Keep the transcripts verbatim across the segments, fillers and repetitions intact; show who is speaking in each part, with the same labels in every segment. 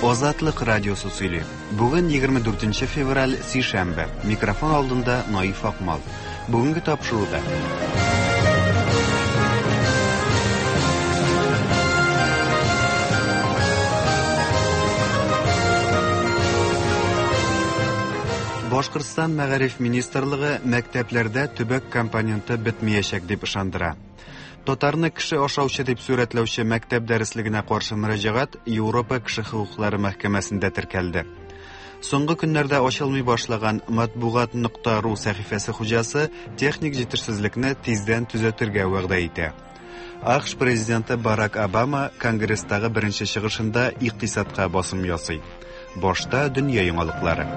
Speaker 1: Азатлык радиосы сөйли. Бүген егерме дүртенче февраль, сишәмбе. Микрофон алдында Наиф Акмал. Бүгенге тапшыруда. Башкортстан Мәгариф министрлыгы мәктәпләрдә төбәк компоненты бетмәячәк дип ышандыра. Татарны кеше ашаучы дип сурәтләүче мәктәп дәреслегенә каршы мөрәҗәгать Европа кеше хокуклары мәхкәмәсендә теркәлде. Соңгы көннәрдә ачылмый башлаган матбугат нокта ру сәхифәсе хуҗасы техник җитешсезлекне тиздән төзәтергә вәгъдә итә. АКШ президенты Барак Обама Конгресстагы беренче чыгышында икътисадка басым ясый. Башта дөнья яңалыклары.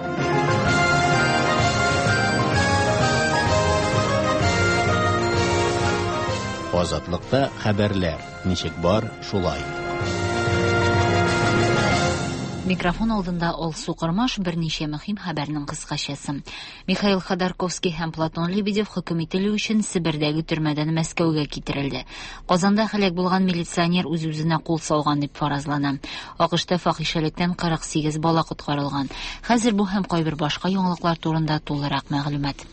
Speaker 2: Азатлыкта хәбәрләр ничек бар, шулай.
Speaker 3: Микрофон алдында Алсу Кормаш берничә мөһим хәбәрнең кыскачасы. Михаил Ходорковский һәм Платон Лебедев хөкем ителү өчен Себердәге төрмәдән Мәскәүгә китерелде. Казанда һәлак булган милиционер үз-үзенә кул салган дип фаразлана. АКШта фахишәлектән кырык сигез бала коткарылган. Хәзер бу һәм кайбер башка яңалыклар турында тулырак мәгълүмат.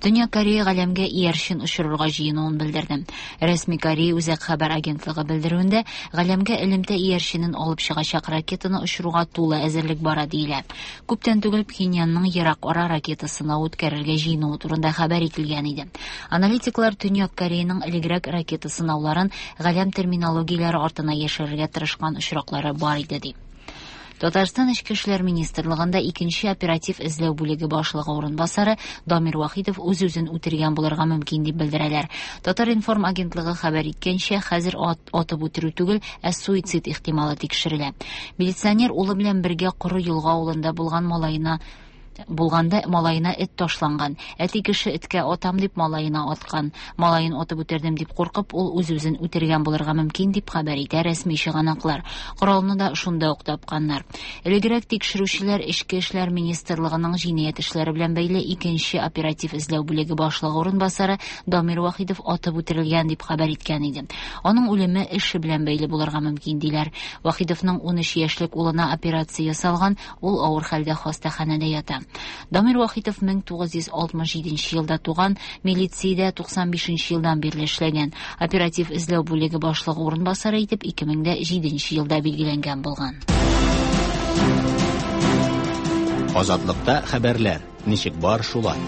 Speaker 3: Төньяк Корея галәмгә иярчен очырырга җыенуын белдерде. Рәсми Корея Үзәк хәбәр агентлыгы белдерүендә галәмгә элемтә иярченен алып чыгачак ракетаны очыруга тулы әзерлек бара диелә. Күптән түгел Пхеньянның ерак ара ракета сынавы үткәрергә җыенуы турында хәбәр ителгән иде. Аналитиклар Төньяк Кореяның элегрәк ракета сынауларын галәм терминологияләре артына яшерергә тырышкан очраклары бар иде ди. Татарстан Эчке эшләр министрлыгында икенче оператив эзләү бүлеге башлыгы урынбасары Дамир Вахитов үз-үзен үтергән булырга мөмкин дип белдерәләр. Татар-информ агентлыгы хәбәр иткәнчә, хәзер ат, атып үтерү түгел, ә суицид ихтималы тикшерелә. Милиционер улы белән бергә Коры Елга авылында булган малаена булганда малаена эт ташланган. Әти кеше эткә атам дип малаена аткан. Малаен атып үтердем дип куркып, ул үз-үзен үтергән булырга мөмкин дип хәбәр итә рәсми чыганаклар. Коралны да шунда ук тапканнар. Элегрәк тикшерүчеләр Эчке эшләр министрлыгының җинаять эшләре белән бәйле икенче оператив эзләү бүлеге башлыгы урынбасары Дамир Вахитов атып үтерелгән дип хәбәр иткән иде. Аның үлеме эше белән бәйле булырга мөмкин диләр. Вахитовның ун өч яшьлек улына операция ясалган, ул авыр хәлдә хастаханәдә ята. Дамир Вахитов мең тугыз йөз алтмыш җиденче елда туган, милициядә туксан бишенче елдан бирле эшләгән. Оператив эзләү бүлеге башлыгы урынбасары итеп ике мең дә җиденче елда билгеләнгән булган.
Speaker 2: Азатлыкта хәбәрләр ничек бар, шулай.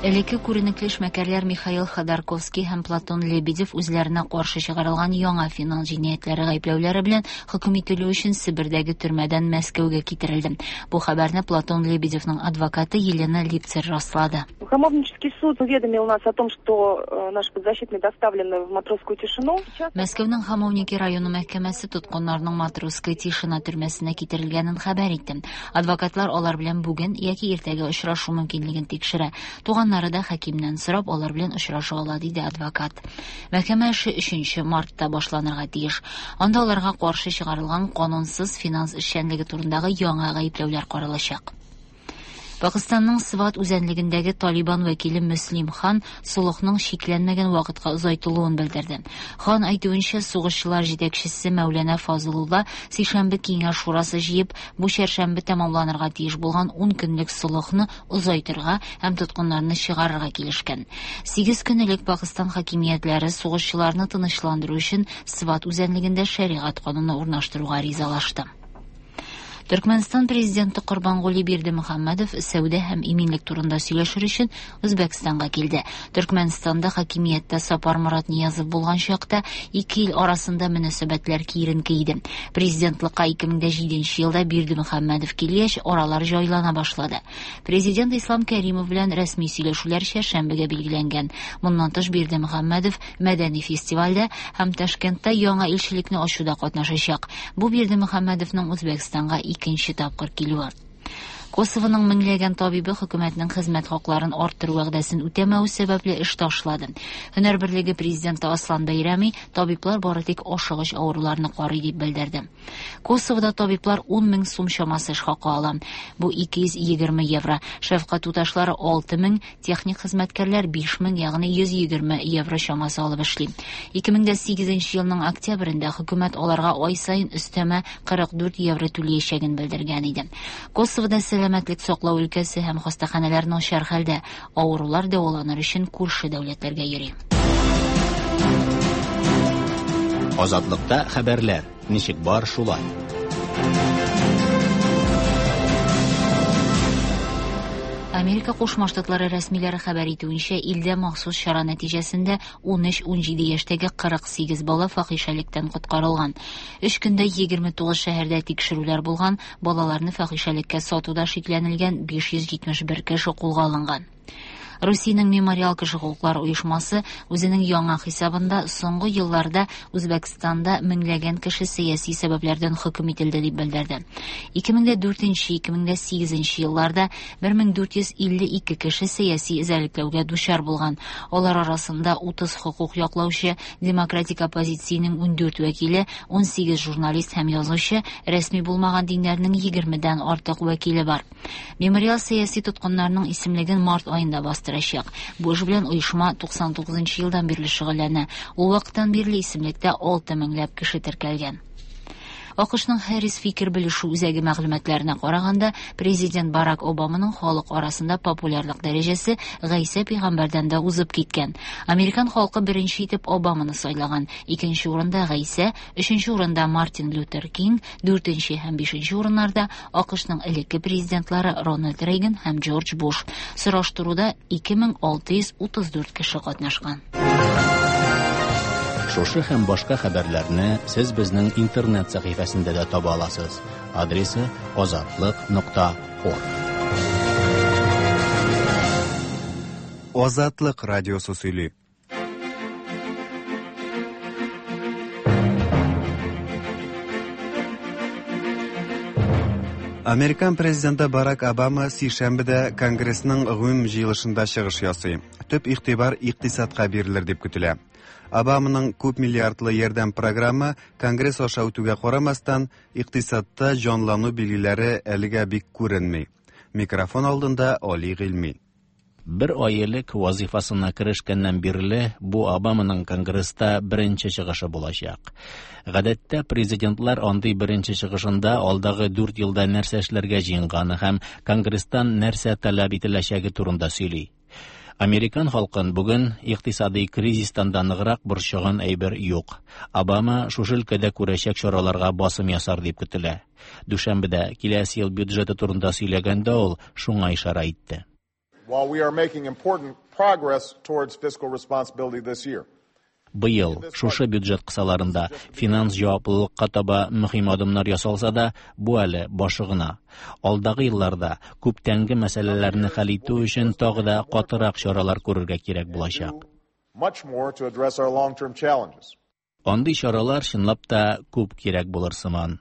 Speaker 3: Элекке күренекле эшмәкәрләр Михаил Ходорковский һәм Платон Лебедев үзләренә каршы чыгарылган яңа финанс җинаятьләре гаепләүләре белән хөкем ителү өчен Себердәге төрмәдән Мәскәүгә китерелде. Бу хәбәрне Платон Лебедевның адвокаты Елена Липцер раслады.
Speaker 4: Хамовнический суд уведомил нас о том, что, э, наши подзащитные доставлены в Матросскую тишину.
Speaker 3: Мәскәүнең Хамовники районы мәхкәмәсе тоткыннарның Матросская тишина төрмәсенә китерелгәнен хәбәр итте. Адвокатлар алар белән бүген яки иртәгә очрашу мөмкинлеген тикшерә. Туганнары да хакимнән сорап алар белән очраша ала, диде адвокат. Мәхкәмә эше өченче мартта башланырга тиеш. Анда аларга каршы чыгарылган канунсыз финанс эшчәнлеге турындагы яңа гаепләүләр каралачак. Пакистанның Сват үзәнлегендәге Талибан вәкиле Мөслим хан солыхның чикләнмәгән вакытка озайтылуын белдерде. Хан әйтүенчә, сугышчылар җитәкчесе Мәүләнә Фазылулла сишәмбе киңәш шурасы җыеп, бу чәршәмбе тәмамланырга тиеш булган ун көнлек солыхны озайтырга һәм тоткыннарны чыгарырга килешкән. Сигез көн элек Пакистан хакимиятләре сугышчыларны тынычландыру өчен Сват үзәнлегендә шәригать кануны урнаштыруга ризалашты. Төркмәнстан президенты Корбангули Бердымөхәммәдов сәүдә һәм иминлек турында сөйләшер өчен Үзбәкстанга килде. Төркмәнстанда хакимияттә Сапар Мурат Ниязов булган чакта ике ил арасында мөнәсәбәтләр киеренке иде. Президентлыкка ике мең дә җиденче елда Бердымөхәммәдов килгәч, аралар җайлана башлады. Президент Ислам Кәримов белән рәсми сөйләшүләр чәршәмбегә билгеләнгән. Моннан тыш Бердымөхәммәдов мәдәни фестивальдә һәм Ташкентта яңа илчелекне ачуда катнашачак. Бу Бердымөхәммәдовның Үзбәкстанга икенче тапкыр килүе. Косовоның меңләгән табибы хөкүмәтнең хезмәт хакларын арттыру вәгъдәсен үтәмәү сәбәпле эш ташлады. Һөнәр берлеге президенты Аслан Бәйрәми табиблар бары тик ашыгыч авыруларны карый дип белдерде. Косовода табиблар ун мең сум чамасы эш хакы ала. Бу ике йөз егерме евро. Шәфкать туташлары алты мең, техник хезмәткәрләр биш мең, ягъни йөз егерме евро чамасы алып эшли. ике мең дә сигезенче елның октябрендә хөкүмәт аларга ай саен өстәмә кырык дүрт евро түләячәген белдергән иде. Косовода сәламәтлек саклау өлкәсе һәм хастаханәләр начар хәлдә, авырулар дәваланыр өчен күрше дәүләтләргә йөри.
Speaker 2: Азатлыкта хәбәрләр ничек бар шулай.
Speaker 3: Америка Кушма Штатлары рәсмиләре хәбәр итүенчә, илдә махсус чара нәтиҗәсендә ун өч-ун җиде яшьтәге кырык сигез бала фахишәлектән коткарылган. Өч көндә егерме тугыз шәһәрдә тикшерүләр булган, балаларны фахишәлеккә сатуда шикләнелгән биш йөз җитмеш бер кеше кулга алынган. Русиянең Мемориал кеше хокуклары оешмасы үзенең яңа хисабында соңгы елларда Үзбәкстанда меңләгән кеше сәяси сәбәпләрдән хөкем ителде дип белдерде. ике мең дә дүртенче, ике мең дә сигезенче елларда бер мең дүрт йөз илле ике кеше сәяси эзәрлекләүгә дучар булган. Алар арасында утыз хокук яклаучы, демократик оппозициянең ун дүрт вәкиле, ун сигез журналист һәм язучы, рәсми булмаган диннәрнең егермедән артык вәкиле бар. Мемориал сәяси тоткыннарның исемлеген март аенда бастырачак. Бу эш белән оешма туксан тугызынчы елдан бирле шөгыльләнә. Ул вакыттан бирле исемлектә алты меңләп кеше теркәлгән. АКШның Harris фикер белешү үзәге мәгълүматларына караганда, президент Барак Обаманың халык арасында популярлык дәрәҗәсе Гайсә пәйгамбәрдән дә узып киткән. Американ халкы беренче итеп Обаманы сайлаган. Икенче урында Гайсә, өченче урында Мартин Лютер Кинг, дүртенче һәм бишенче урыннарда АКШның элекке президентлары Рональд Рейган һәм Джордж Буш. Сораштыруда ике мең алты йөз утыз дүрт кеше катнашкан.
Speaker 2: Шушы һәм башка хәбәрләрне сез безнең интернет сәхифәсендә дә таба аласыз. Адресы азатлык нокта орг.
Speaker 1: Азатлык радиосы сөйли. Американ президенты Барак Обама сишәмбедә Конгрессның гомум җыелышында чыгыш ясый. Төп игътибар икътисадка бирелер дип көтелә. Обаманың күп миллиардлы ярдәм программы Конгресс аша үтүгә карамастан, икътисадта җанлану билгеләре әлегә бик күренми. Микрофон алдында Али Гыйльми.
Speaker 2: Бер ай элек вазифасына керешкәннән бирле бу Обаманың Конгресста беренче чыгышы булачак. Гадәттә президентлар андый беренче чыгышында алдагы дүрт елда нәрсә эшләргә җыенганы һәм Конгресстан нәрсә таләп ителәчәге турында сөйли. Американ халкын бүген икътисади кризистан да ныграк борчыган әйбер юк. Обама шушы өлкәдә күрәчәк чараларга басым ясар дип көтелә. Дүшәмбедә киләсе ел бюджеты турында сөйләгәндә ул шуңа ишарә итте.
Speaker 5: While we are making important progress towards fiscal responsibility this year.
Speaker 2: Быел шушы бюджет кысаларында финанс җаваплылыкка таба мөһим адымнар ясалса да, бу әле башы гына. Алдагы елларда күптәнге мәсьәләләрне хәл итү өчен тагы да катырак чаралар күрергә кирәк булачак.
Speaker 5: Much more to address our long-term challenges.
Speaker 2: Андый чаралар чынлап та күп кирәк булыр сыман.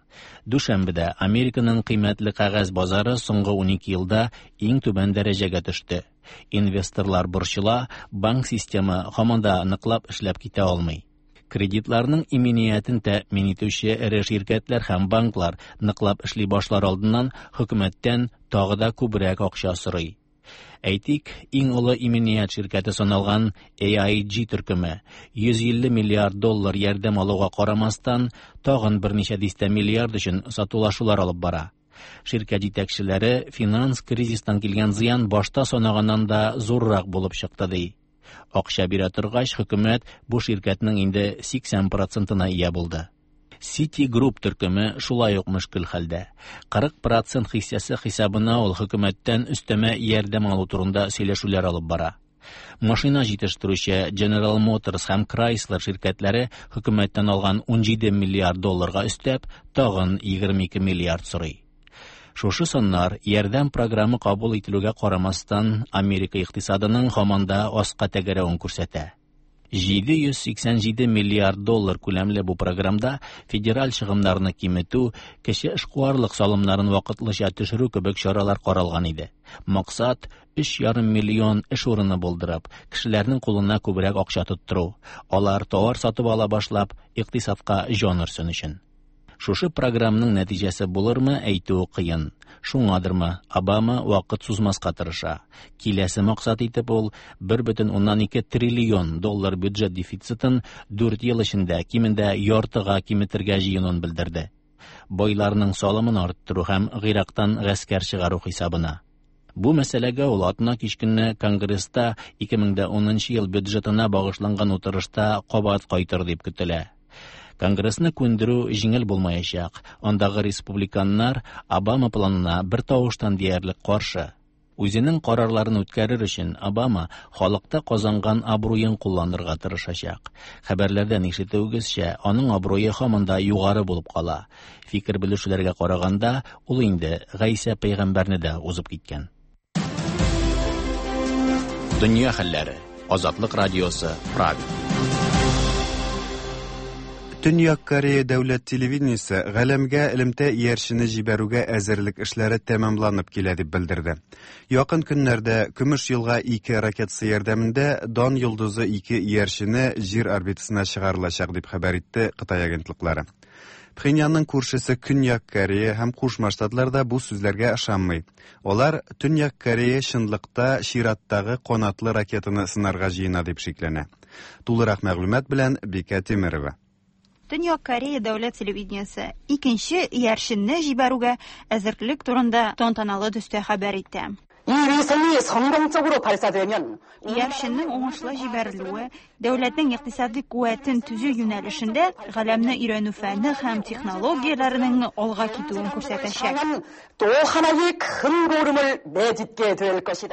Speaker 2: Дүшәмбедә Американың кыйммәтле кәгазь базары соңгы унике елда иң түбән дәрәҗәгә төште. Инвесторлар борчыла, банк системы һаман да ныклап эшләп китә алмый. Кредитларның иминиятен тәэмин итүче эре ширкәтләр һәм банклар ныклап эшли башлар алдыннан хөкүмәттән тагы да күбрәк акча сорый. Әйтик, иң олы иминият ширкәте саналган A I G төркеме йөз илле миллиард доллар ярдәм алуга карамастан, тагын берничә дистә миллиард өчен сатулашулар алып бара. Ширкәт җитәкчеләре финанс кризистан килгән зыян башта санаганнан да зуррак булып чыкты ди. Акча бирә торгач, хөкүмәт бу ширкәтнең инде сиксән процентына ия булды. Citigroup төркеме шулай ук мөшкел хәлдә. Кырык процент хиссәсе хисабына ул хөкүмәттән өстәмә ярдәм алу турында сөйләшүләр алып бара. Машина җитештерүче General Motors һәм Chrysler ширкәтләре хөкүмәттән алган ун җиде миллиард долларга өстәп, тагын егерме ике миллиард сорый. Шушы саннар ярдәм программы кабул ителүгә карамастан, Америка икътисадының һаман да аска тәгәрәвен күрсәтә. җиде йөз сиксән җиде миллиард доллар күләмле бу програмда федераль чыгымнарны киметү, кече эшкуарлык салымнарын вакытлыча төшерү кебек чаралар каралган иде. Максат өч ярым миллион эш урыны булдырып, кешеләрнең кулына күбрәк акча тоттыру, алар товар сатып ала башлап, икътисадка җан өрсен өчен. Шушы програмның нәтиҗәсе булырмы, әйтү кыен. Шуңадырмы, Обама вакыт сузмаска тырыша. Киләсе максат итеп ул бер бөтен уннан ике триллион доллар бюджет дефицитын дүрт ел эчендә кимендә яртыга киметергә җыенуын белдерде. Байларның салымын арттыру һәм Гыйрактан гаскәр чыгару хисабына. Бу мәсьәләгә ул атна кич көнне Конгресста ике мең дә унынчы ел бюджетына багышланган утырышта кабат кайтыр дип көтелә. Конгрессны күндерү җиңел булмаячак. Андагы республиканнар Обама планына бер тавыштан диярлек каршы. Үзенең карарларын үткәрер өчен Обама халыкта казанган абруен кулланырга тырышачак. Хәбәрләрдән ишетүегезчә, аның абруе һаман да югары булып кала. Фикер белешүләргә караганда, ул инде Гайсә пәйгамбәрне дә узып киткән. Дөнья хәлләре. Азатлык радиосы, Прага.
Speaker 1: Төньяк Корея дәүләт телевидениесе галәмгә элемтә иярчене җибәрүгә әзерлек эшләре тәмамланып килә дип белдерде. Якын көннәрдә Көмеш елга ике ракетасы ярдәмендә Дан йолдызы ике иярчене Җир орбитасына чыгарылачак дип хәбәр итте Кытай агентлыклары. Пхеньянның күршесе Көньяк Корея һәм Кушма Штатлар да бу сүзләргә ышанмый. Алар Төньяк Корея чынлыкта чираттагы канатлы ракетаны сынарга җыена дип шикләнә. Тулырак мәгълүмат белән Бикә Тимирова.
Speaker 6: Төньяк Корея дәүләт телевидениесе икенче иярченне җибәрүгә әзерлек турында тантаналы төстә хәбәр итте. Иярченнең уңышлы җибәрелүе дәүләтнең икътисади куәтен төзү юнәлешендә галәмне өйрәнү фәне һәм технологияләренең алга китүен күрсәтәчәк.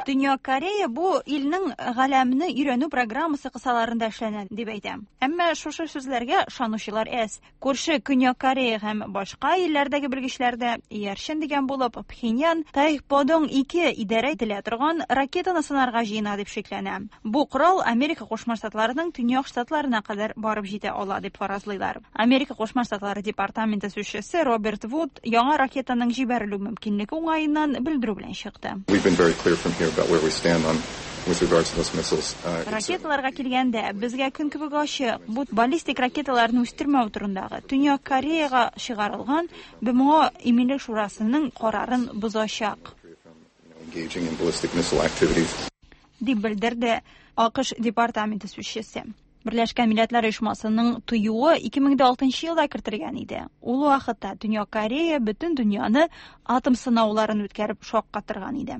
Speaker 6: Төньяк Корея бу илнең галәмне өйрәнү программасы кысаларында эшләнә дип әйтә. Әмма шушы сүзләргә ышанучылар әз. Күрше Көньяк Корея һәм башка илләрдәге белгечләр дә иярчен дигән булып Пхеньян Тайподong ике идарә ителә торган ракетаны сынарга җыена дип шикләнә. Бу корал Америка Кушма Штатларының Төньяк Штатларына кадәр барып җитә ала дип фаразлыйлар. Америка Кушма Штатлары департаменты сүзчесе Роберт Вуд яңа ракетаның җибәрелү мөмкинлеге уңаеннан белдерү белән чыкты. Ракеталарга килгәндә, безгә көн кебек ачык, бу баллистик ракеталарны үстермәү турындагы Төньяк Кореяга чыгарылган Б М О Иминлек шурасының карарын бозачак. Дип белдерде А К Ш департаменты сүзчесе. Берләшкән Милләтләр Оешмасының тыюы ике мең дә алтынчы елда кертелгән иде. Ул вакытта Төньяк Корея бөтен дөньяны атом сынауларын үткәреп шаккатырган иде.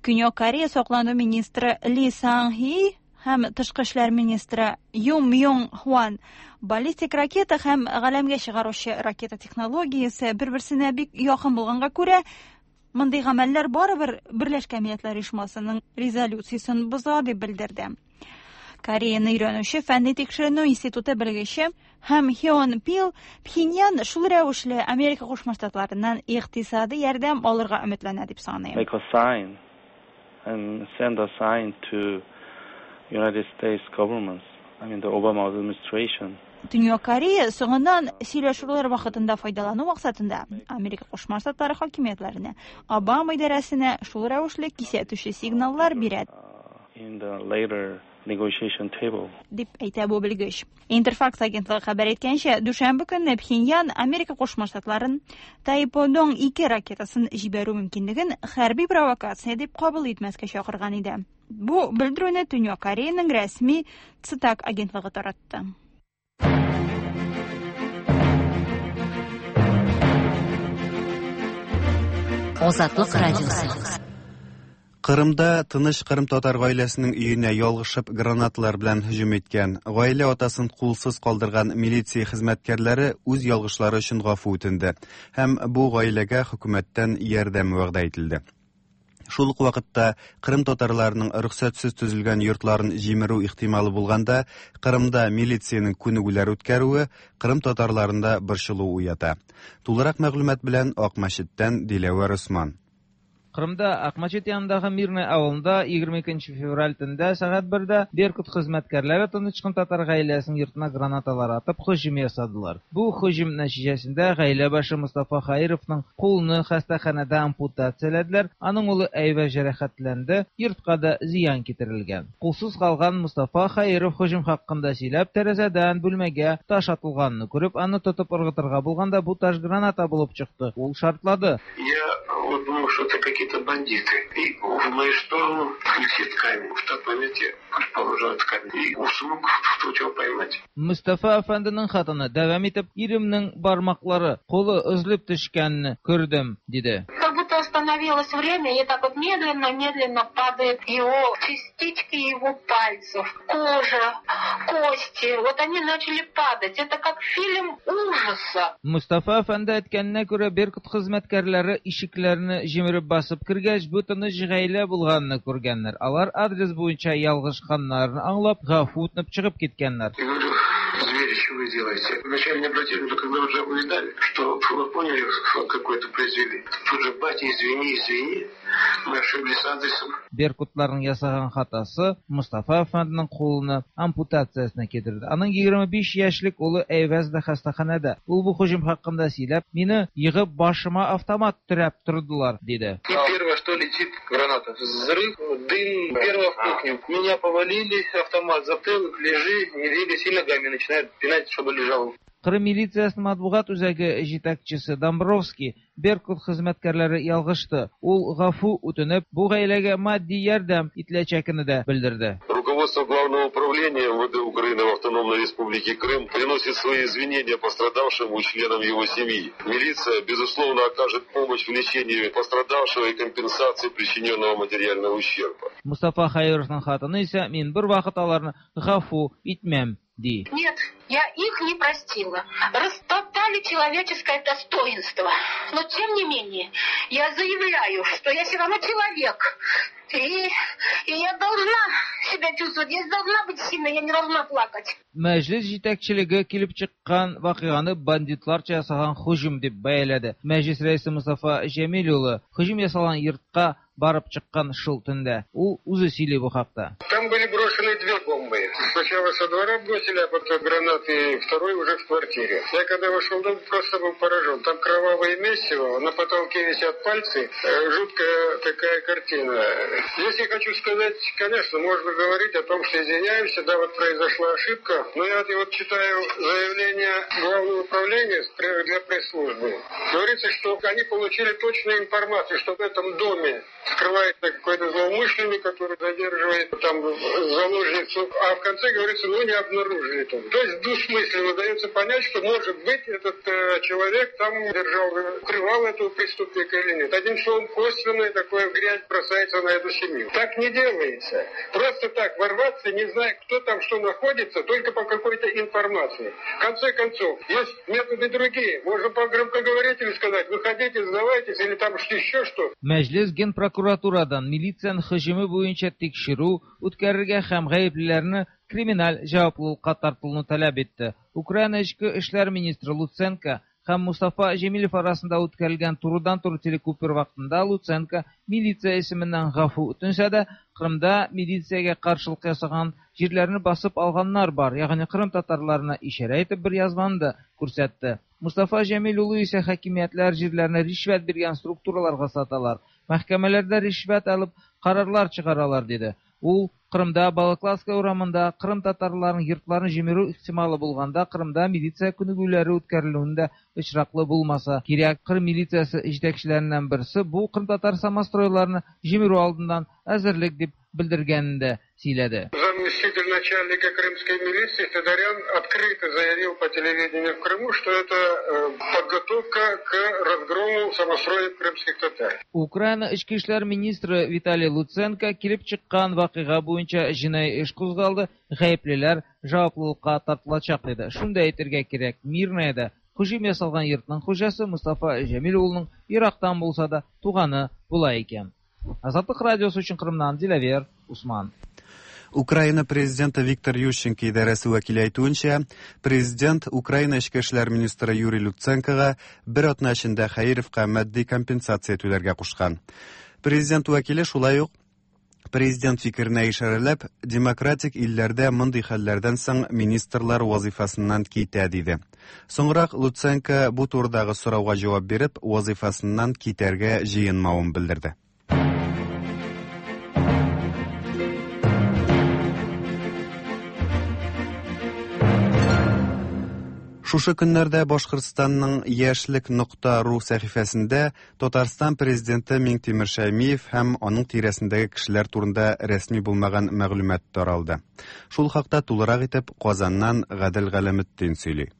Speaker 6: Көньяк Корея саклану министры Ли Сан Хи һәм тышкы эшләр министры Юм Мьон Хван баллистик ракета һәм галәмгә чыгаручы ракета технологиясе бер-берсенә бик якын булганга күрә, мондый гамәлләр барыбер Берләшкән Милләтләр Оешмасының резолюциясен боза дип белдерде. Кореяны өйрәнүче фәнни тикшеренү институты белгече һәм Хён Пил Пхеньян шул рәвешле Америка Кушма Штатларыннан икътисади ярдәм алырга өметләнә дип саный.
Speaker 7: Make a sign and send a sign to United States governments, I mean the Obama administration.
Speaker 6: Төньяк Корея соңыннан сөйләшүләр вакытында файдалану максатында Америка Кушма Штатлары хакимиятләренә, Обама идарәсенә шул рәвешле кисәтүче сигналлар бирә.
Speaker 7: In the later negotiation table.
Speaker 6: Дип әйтә бу белгеч. Интерфакс агентлыгы хәбәр иткәнчә, дүшәмбе көнне Пхеньян Америка Кушма Штатларын Тайподong ике ракетасын җибәрү мөмкинлеген хәрби провокация дип кабул итмәскә чакырган иде. Бу белдерүне Төньяк Кореяның рәсми Цитак агентлыгы таратты.
Speaker 3: Азатлык радиосы.
Speaker 1: Кырымда тыныч Кырым татар гаиләсенең өенә ялгышып гранаталар белән һөҗүм иткән, гаилә атасын кулсыз калдырган милиция хезмәткәрләре үз ялгышлары өчен гафу үтенде һәм бу гаиләгә хөкүмәттән ярдәм вәгъдә ителде. Шул ук вакытта Кырым татарларының рөхсәтсез төзелгән йортларын җимерү ихтималы булганда, Кырымда милициянең күнегүләр үткәрүе Кырым татарларында борчылу уята. Тулырак мәгълүмат белән Акмәчеттән Диләвәр Усман.
Speaker 8: Кырымда Акмачет янындагы Мирный авылында егерме икенче февраль төндә сәгать бердә Беркут хезмәткәрләре тыныч кына татар гаиләсенең йортына гранаталар атып һөҗүм ясадылар. Бу һөҗүм нәтиҗәсендә гаилә башы Мустафа Хаировның кулны хастаханәдә ампутацияләделәр, аның улы әйбә җәрәхәтләнде, йортка да зыян китерелгән. Кулсыз калган Мустафа Хаиров һөҗүм хакында сөйләп, тәрәзәдән бүлмәгә таш атылганны күреп, аны тотып ыргытырга булганда бу таш граната булып чыкты. Ул шартлады.
Speaker 9: Я вот думал, что это какие-то бандиты. И в мою сторону летит камень. В тот момент я предположил этот камень. И смог тут его поймать.
Speaker 8: Мустафа әфәнденең хатыны дәвам итеп, иремнең бармаклары, кулы өзелеп төшкәнне күрдем, диде.
Speaker 10: Как будто остановилось время, и так вот медленно-медленно падают его частички его пальцев, кожа, кости. Вот они начали падать. Это как фильм ужаса.
Speaker 8: Мустафа әфәнде әйткәненә күрә, Беркут хезмәткәрләре ишекләрне җимереп басып кергәч, бу тыныч гаилә булганны күргәннәр. Алар адрес буенча ялгышканнарын аңлап, гафу үтенеп чыгып киткәннәр.
Speaker 9: Я говорю, звери, что вы делаете? Вначале не обратили, но когда уже увидали, что вы поняли, какой-то произвели. Тут же, батя, извини, извини, мы ошиблись с адресом.
Speaker 8: Беркутларның ясаган хатасы Мустафа әфәнденең кулына ампутациясенә китерде. Аның егерме биш яшьлек улы Әйвәз дә хастаханәдә. Ул бу һөҗүм хакында сөйләп, мине егып башыма автомат терәп тордылар, диде.
Speaker 11: И первое, что летит, граната. Взрыв, дым, первое в кухню. Меня повалили, автомат затылок, лежи, не двигайся, и ногами начинают пинать, чтобы лежал.
Speaker 8: Кырым милициясының матбугат үзәге җитәкчесе Домбровский Беркут хезмәткәрләре ялгышты. Ул гафу үтенеп, бу гаиләгә матди ярдәм ителәчәген дә белдерде.
Speaker 12: Руководство Главного управления МВД Украины в Автономной Республике Крым приносит свои извинения пострадавшему и членам его семьи. Милиция, безусловно, окажет помощь в лечении пострадавшего и компенсации причиненного материального ущерба.
Speaker 8: Мустафа Хайровның хатыны исә, мин бер вакыт аларны гафу итмәм, ди.
Speaker 10: Нет, я их не простила. Растоптали человеческое достоинство. Но тем не менее, я заявляю, что я все равно человек. И, и я должна себя чувствовать, я должна быть сильной, я не должна плакать.
Speaker 8: Мәҗлис җитәкчелеге килеп чыккан вакыйганы бандитларча ясаган һөҗүм дип бәяләде. Мәҗлис рәисе Мустафа Җәмил улы һөҗүм ясалган йортка барып чыккан шул төндә. Ул үзе сөйли бу хакта.
Speaker 9: Там были брошены две бомбы. Сначала со двора бросили, а потом гранаты, второй уже в квартире. Я когда вошел в дом, просто был поражен. Там кровавое месиво, на потолке висят пальцы. Жуткая такая картина. Здесь я хочу сказать, конечно, можно говорить о том, что извиняемся, да, вот произошла ошибка. Но я вот читаю заявление Главного управления для пресс-службы. Говорится, что они получили точную информацию, что в этом доме скрывается какой-то злоумышленник, который задерживает там заложницу, а в конце говорится, ну не обнаружили там. То есть двусмысленно дается понять, что может быть этот э, человек там держал, укрывал этого преступника или нет. Одним словом, косвенная такая грязь бросается на эту семью. Так не делается. Просто так ворваться, не зная, кто там что находится, только по какой-то информации. В конце концов, есть методы другие. Можно по громкоговорителю сказать, выходите, сдавайтесь, или там еще что.
Speaker 8: Мәҗлис генпрокуратурадан милициянең һөҗүме буенча тикшерү үткәрергә һәм гаеплеләрне криминаль җаваплылыкка тартылуны таләп итте. Украина эчке эшләр министры Луценко һәм Мустафа Җәмилев арасында үткәрелгән турыдан-туры телекүпер вакытында Луценко милиция исеменнән гафу үтенсә дә, Кырымда милициягә каршылык ясаган җирләрне басып алганнар бар, ягъни Кырым татарларына ишарә итеп бер язманы да күрсәтте. Мустафа Җәмил улы исә хакимиятләр җирләрне ришвәт биргән структураларга саталар, мәхкәмәләрдә ришвәт алып карарлар чыгаралар диде. Ул Кырымда Балаклавская урамында Кырым татарларының йортларын җимерү ихтималы булганда Кырымда милиция күнегүләре үткәрелүендә очраклы булмаса кирәк. Кырым милициясе җитәкчеләреннән берсе бу Кырым татар самостройларны җимерү алдыннан әзерлек дип белдергәнен дә сөйләде.
Speaker 9: Заместитель начальника крымской милиции Федорян открыто заявил по телевидению в Крыму, что это подготовка к разгрому самостроев крымских татар.
Speaker 8: Украина эчке эшләр министры Виталий Луценко килеп чыккан вакыйга буенча җинаи эш кузгалды, гаеплеләр җаваплылыкка тартылачак диде. Шунда әйтергә кирәк, Мирныйда һөҗүм ясалган йортның хуҗасы Мустафа Җәмил улының Ирактан булса да туганы була икән. Азатлык радиосы өчен Кырымнан Диләвер Усман.
Speaker 1: Украина президенты Виктор Ющенко идарәсе вәкиле әйтүенчә, президент Украина эчке эшләр министры Юрий Луценкога бер атна эчендә Хәировка матди компенсация түләргә кушкан. Президент вәкиле шулай ук президент фикеренә ишарәләп, демократик илләрдә мондый хәлләрдән соң министрлар вазифасыннан китә диде. Соңрак Луценко бу турыдагы сорауга җавап биреп, вазифасыннан китәргә җыенмавын белдерде. Шушы көннәрдә Башкортстанның яшьлек нокта ру сәхифәсендә Татарстан президенты Миңтимер Шәймиев һәм аның тирәсендәге кешеләр турында рәсми булмаган мәгълүмат таралды. Шул хакта тулырак итеп Казаннан Гадел Галәметдин сөйли.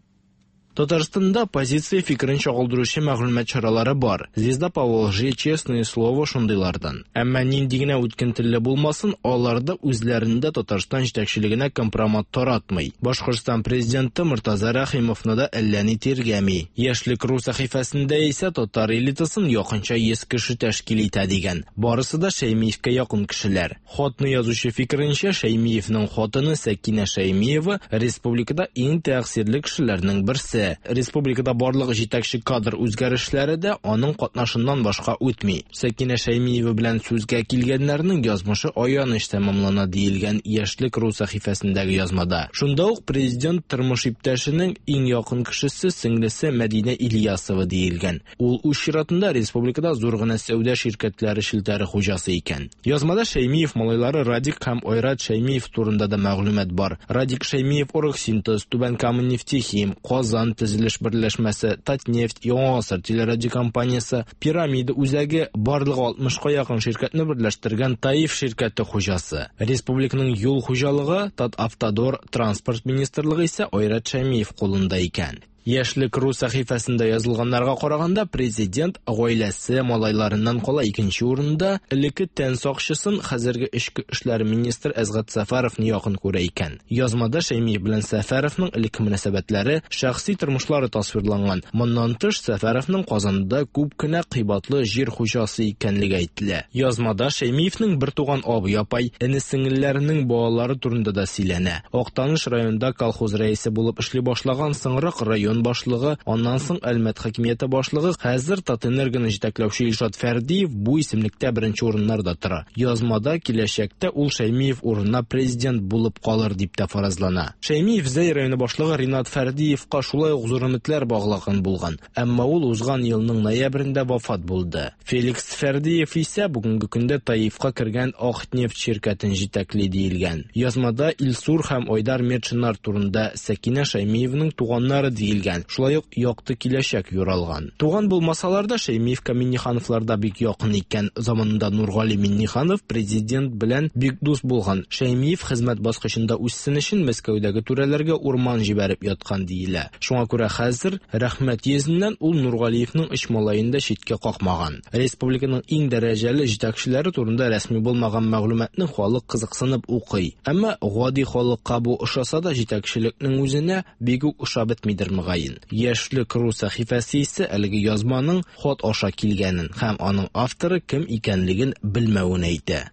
Speaker 13: Татарстанда позиция фикерен чагылдыручы мәгълүмат чаралары бар. Звезда Поволжье, Честное слово шундыйлардан. Әмма нинди генә үткен телле булмасын, алар да үзләрендә Татарстан җитәкчелегенә компромат таратмый. Башкортстан президенты Мортаза Рәхимовны да әллә ни тиргәми. Яшьлек ру сәхифәсендә исә татар элитасын якынча йөз кеше тәшкил итә дигән. Барысы да Шәймиевкә якын кешеләр. Хатны язучы фикеренчә, Шәймиевнең хатыны Сәкинә Шәймиева республикада иң тәэсирле кешеләрнең берсе. Республикада барлык җитәкче кадр үзгәрешләре дә аның катнашыннан башка үтми. Сәкинә Шәймиева белән сүзгә килгәннәрнең язмышы аяныч тәмамлана диелгән Яшьлек ру сәхифәсендәге язмада. Шунда ук президент тормыш иптәшенең иң якын кешесе сеңлесе Мәдинә Ильясова диелгән. Ул үз чиратында республикада зур гына сәүдә ширкәтләре челтәре хуҗасы икән. Язмада Шәймиев малайлары Радик һәм Айрат Шәймиев турында да мәгълүмат бар. Радик Шәймиев Оргсинтез, Түбән Кама нефтехим, Казан төзелеш берләшмәсе, Татнефть, Яңа гасыр телерадиокомпаниясе, Пирамида үзәге барлыгы алтмышка якын ширкәтне берләштергән Таиф ширкәте хуҗасы. Республиканың юл хуҗалыгы, Татавтодор, транспорт министрлыгы исә Айрат Шәймиев кулында икән. Яшьлек ру сәхифәсендә язылганнарга караганда, президент гаиләсе малайларыннан кала икенче урында элекке тән сакчысын хәзерге эчке эшләр министры Әзгать Сәфәровны якын күрә икән. Язмада Шәймиев белән Сәфәровның элекке мөнәсәбәтләре, шәхси тормышлары тасвирланган. Моннан тыш, Сәфәровның Казанда күп кенә кыйбатлы җир хуҗасы икәнлеге әйтелә. Язмада Шәймиевнең бер туган абый апай, эне-сеңелләренең балалары турында да сөйләнә. Актаныш районында колхоз рәисе булып эшли башлаган, соңрак район башлыгы, аннан соң Әлмәт хакимияте башлыгы, хәзер Татэнергоны җитәкләүче Илшат Фәрдиев бу исемлектә беренче урыннарда тора. Язмада киләчәктә ул Шәймиев урынына президент булып калыр дип тә фаразлана. Шәймиев Зәй районы башлыгы Ринат Фәрдиевка шулай ук зур өметләр баглаган булган, әмма ул узган елның ноябрендә вафат булды. Феликс Фәрдиев исә бүгенге көндә Таифка кергән Акнефть ширкәтен җитәкли диелгән. Язмада Илсур һәм Айдар Метшиннар турында Сәкинә Шәймиевның туганнары диелгән. Шулай ук якты киләчәк юралган. Туган булмасалар да Шәймиевка Миннихановлар да бик якын икән. Заманында Нургали Минниханов президент белән бик дус булган. Шәймиев хезмәт баскычында үссен өчен Мәскәүдәге түрәләргә урман җибәреп яткан диелә. Шуңа күрә хәзер рәхмәт йөзеннән ул Нургалиевның өч малаен да читкә какмаган. Республиканың иң дәрәҗәле җитәкчеләре турында рәсми булмаган мәгълүматны халык кызыксынып укый. Әмма гади халыкка бу ошаса да җитәкчелекнең үзенә бик үк ошап бетмидер мөгаен. Яшьлек ру сәхифәсе исә әлеге язманың хат аша килгәнен һәм аның авторы кем икәнлеген белмәвен әйтә.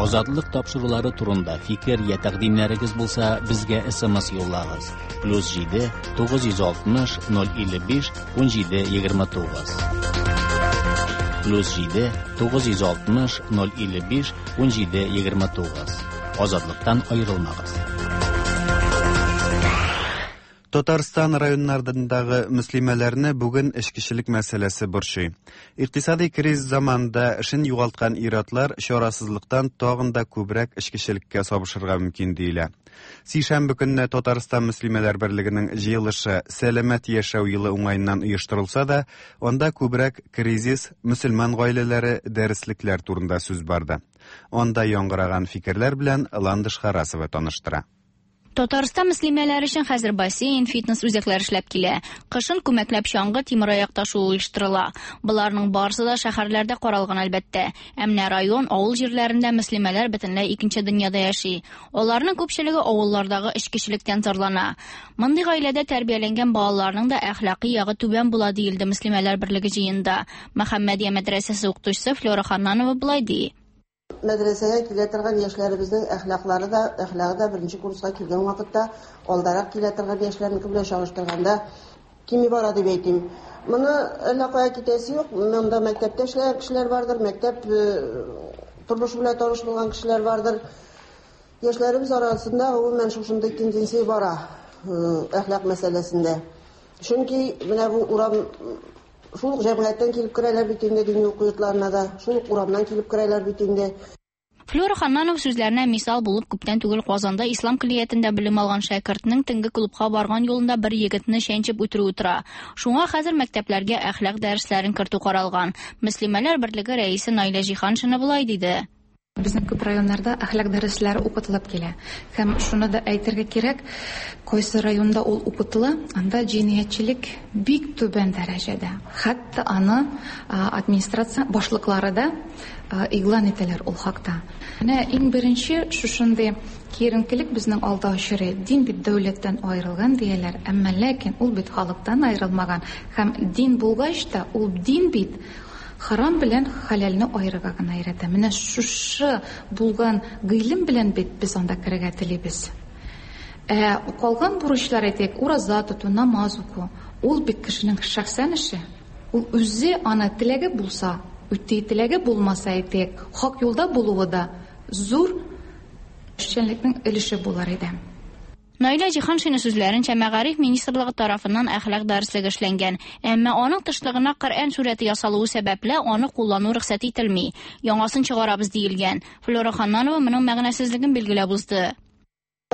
Speaker 2: Азатлык тапшырулары турында фикер я тәкъдимнәрегез булса, безгә С М С юллагыз. Плюс җиде тугыз йөз алтмыш ноль илле биш ун җиде егерме тугыз. Плюс җиде тугыз йөз алтмыш ноль илле биш ун җиде егерме тугыз. Азатлыктан аерылмагыз.
Speaker 1: Татарстан районнарындагы мөслимәләрне бүген эчкечелек мәсьәләсе борчый. Икътисади кризис заманында эшен югалткан ир-атлар чарасызлыктан тагын да күбрәк эчкечелеккә сабышырга мөмкин диелә. Сишәмбе көнне Татарстан мөслимәләр берлегенең җыелышы Сәламәт яшәү елы уңаеннан оештырылса да, анда күбрәк кризис, мөселман гаиләләре, дәреслекләр турында сүз барды. Анда яңгыраган фикерләр белән Ландыш Харасова таныштыра.
Speaker 14: Татарстан мөслимәләре өчен хәзер бассейн, фитнес үзәкләре эшләп килә. Кышын күмәкләп чаңгы, тимераяк ташу оештырыла. Боларның барысы да шәһәрләрдә каралган әлбәттә. Ә менә район, авыл җирләрендә мөслимәләр бөтенләй икенче дөньяда яши. Аларның күпчелеге авыллардагы эчкечелектән зарлана. Мондый гаиләдә тәрбияләнгән балаларның да әхлакый ягы түбән була диелде Мөслимәләр берлеге җыенында. Мөхәммәдия мәдрәсәсе укытучысы Флора Ханнанова болай ди.
Speaker 15: Мәдрәсәгә килә торган яшьләребезнең әхлаклары да, әхлагы да беренче курска килгән вакытта алдарак килә торган яшьләрнеке белән чагыштырганда кими бара дип әйтим. Моны әллә кая китәсе юк. Монда мәктәптә эшләгән кешеләр бардыр, мәктәп тормышы белән таныш булган кешеләр бардыр. Яшьләребез арасында гомумән шушындый тенденция бара әхлак мәсьәләсендә. Чөнки менә бу урам шул ук җәмгыятьтән килеп керәләр бит инде дини уку йортларына да, шул ук урамнан килеп керәләр бит инде.
Speaker 14: Флюра Ханнанова сүзләренә мисал булып күптән түгел Казанда ислам көллиятендә белем алган шәкертнең төнге клубка барган юлында бер егетне чәнчеп үтерүе тора. Шуңа хәзер мәктәпләргә әхлак дәресләрен кертү каралган. Мөслимәләр берлеге рәисе Наилә Җиһаншина болай диде.
Speaker 16: Безнең күп районнарда әхлак дәресләре укытылып килә. Һәм шуны да әйтергә кирәк, кайсы районда ул укытыла, анда җинаятьчелек бик түбән дәрәҗәдә. Хәтта аны администрация башлыклары да игълан итәләр ул хакта. Менә иң беренче шушындый киеренкелек безнең алда очрый. Дин бит дәүләттән аерылган дияләр, әмма ләкин ул бит халыктан аерылмаган. Һәм дин булгач та, ул дин бит харам белән хәләлне аерырга гына өйрәтә. Менә шушы булган гыйлем белән бит без анда керергә телибез. Ә калган бурычлар, әйтик, ураза тоту, намаз уку, ул бит кешенең шәхсән эше. Ул үзе аны теләге булса, үти, теләге булмаса, әйтик, хак юлда булуы да зур эшчәнлекнең өлеше булар иде.
Speaker 14: Наилә Җиһаншина сүзләренчә, Мәгариф министрлыгы тарафыннан әхлак дәреслеге эшләнгән, әмма аның тышлыгына Коръән сүрәте ясалуы сәбәпле аны куллану рөхсәт ителми. Яңасын чыгарабыз диелгән. Флюра Ханнанова моның мәгънәсезлеген билгеләп узды.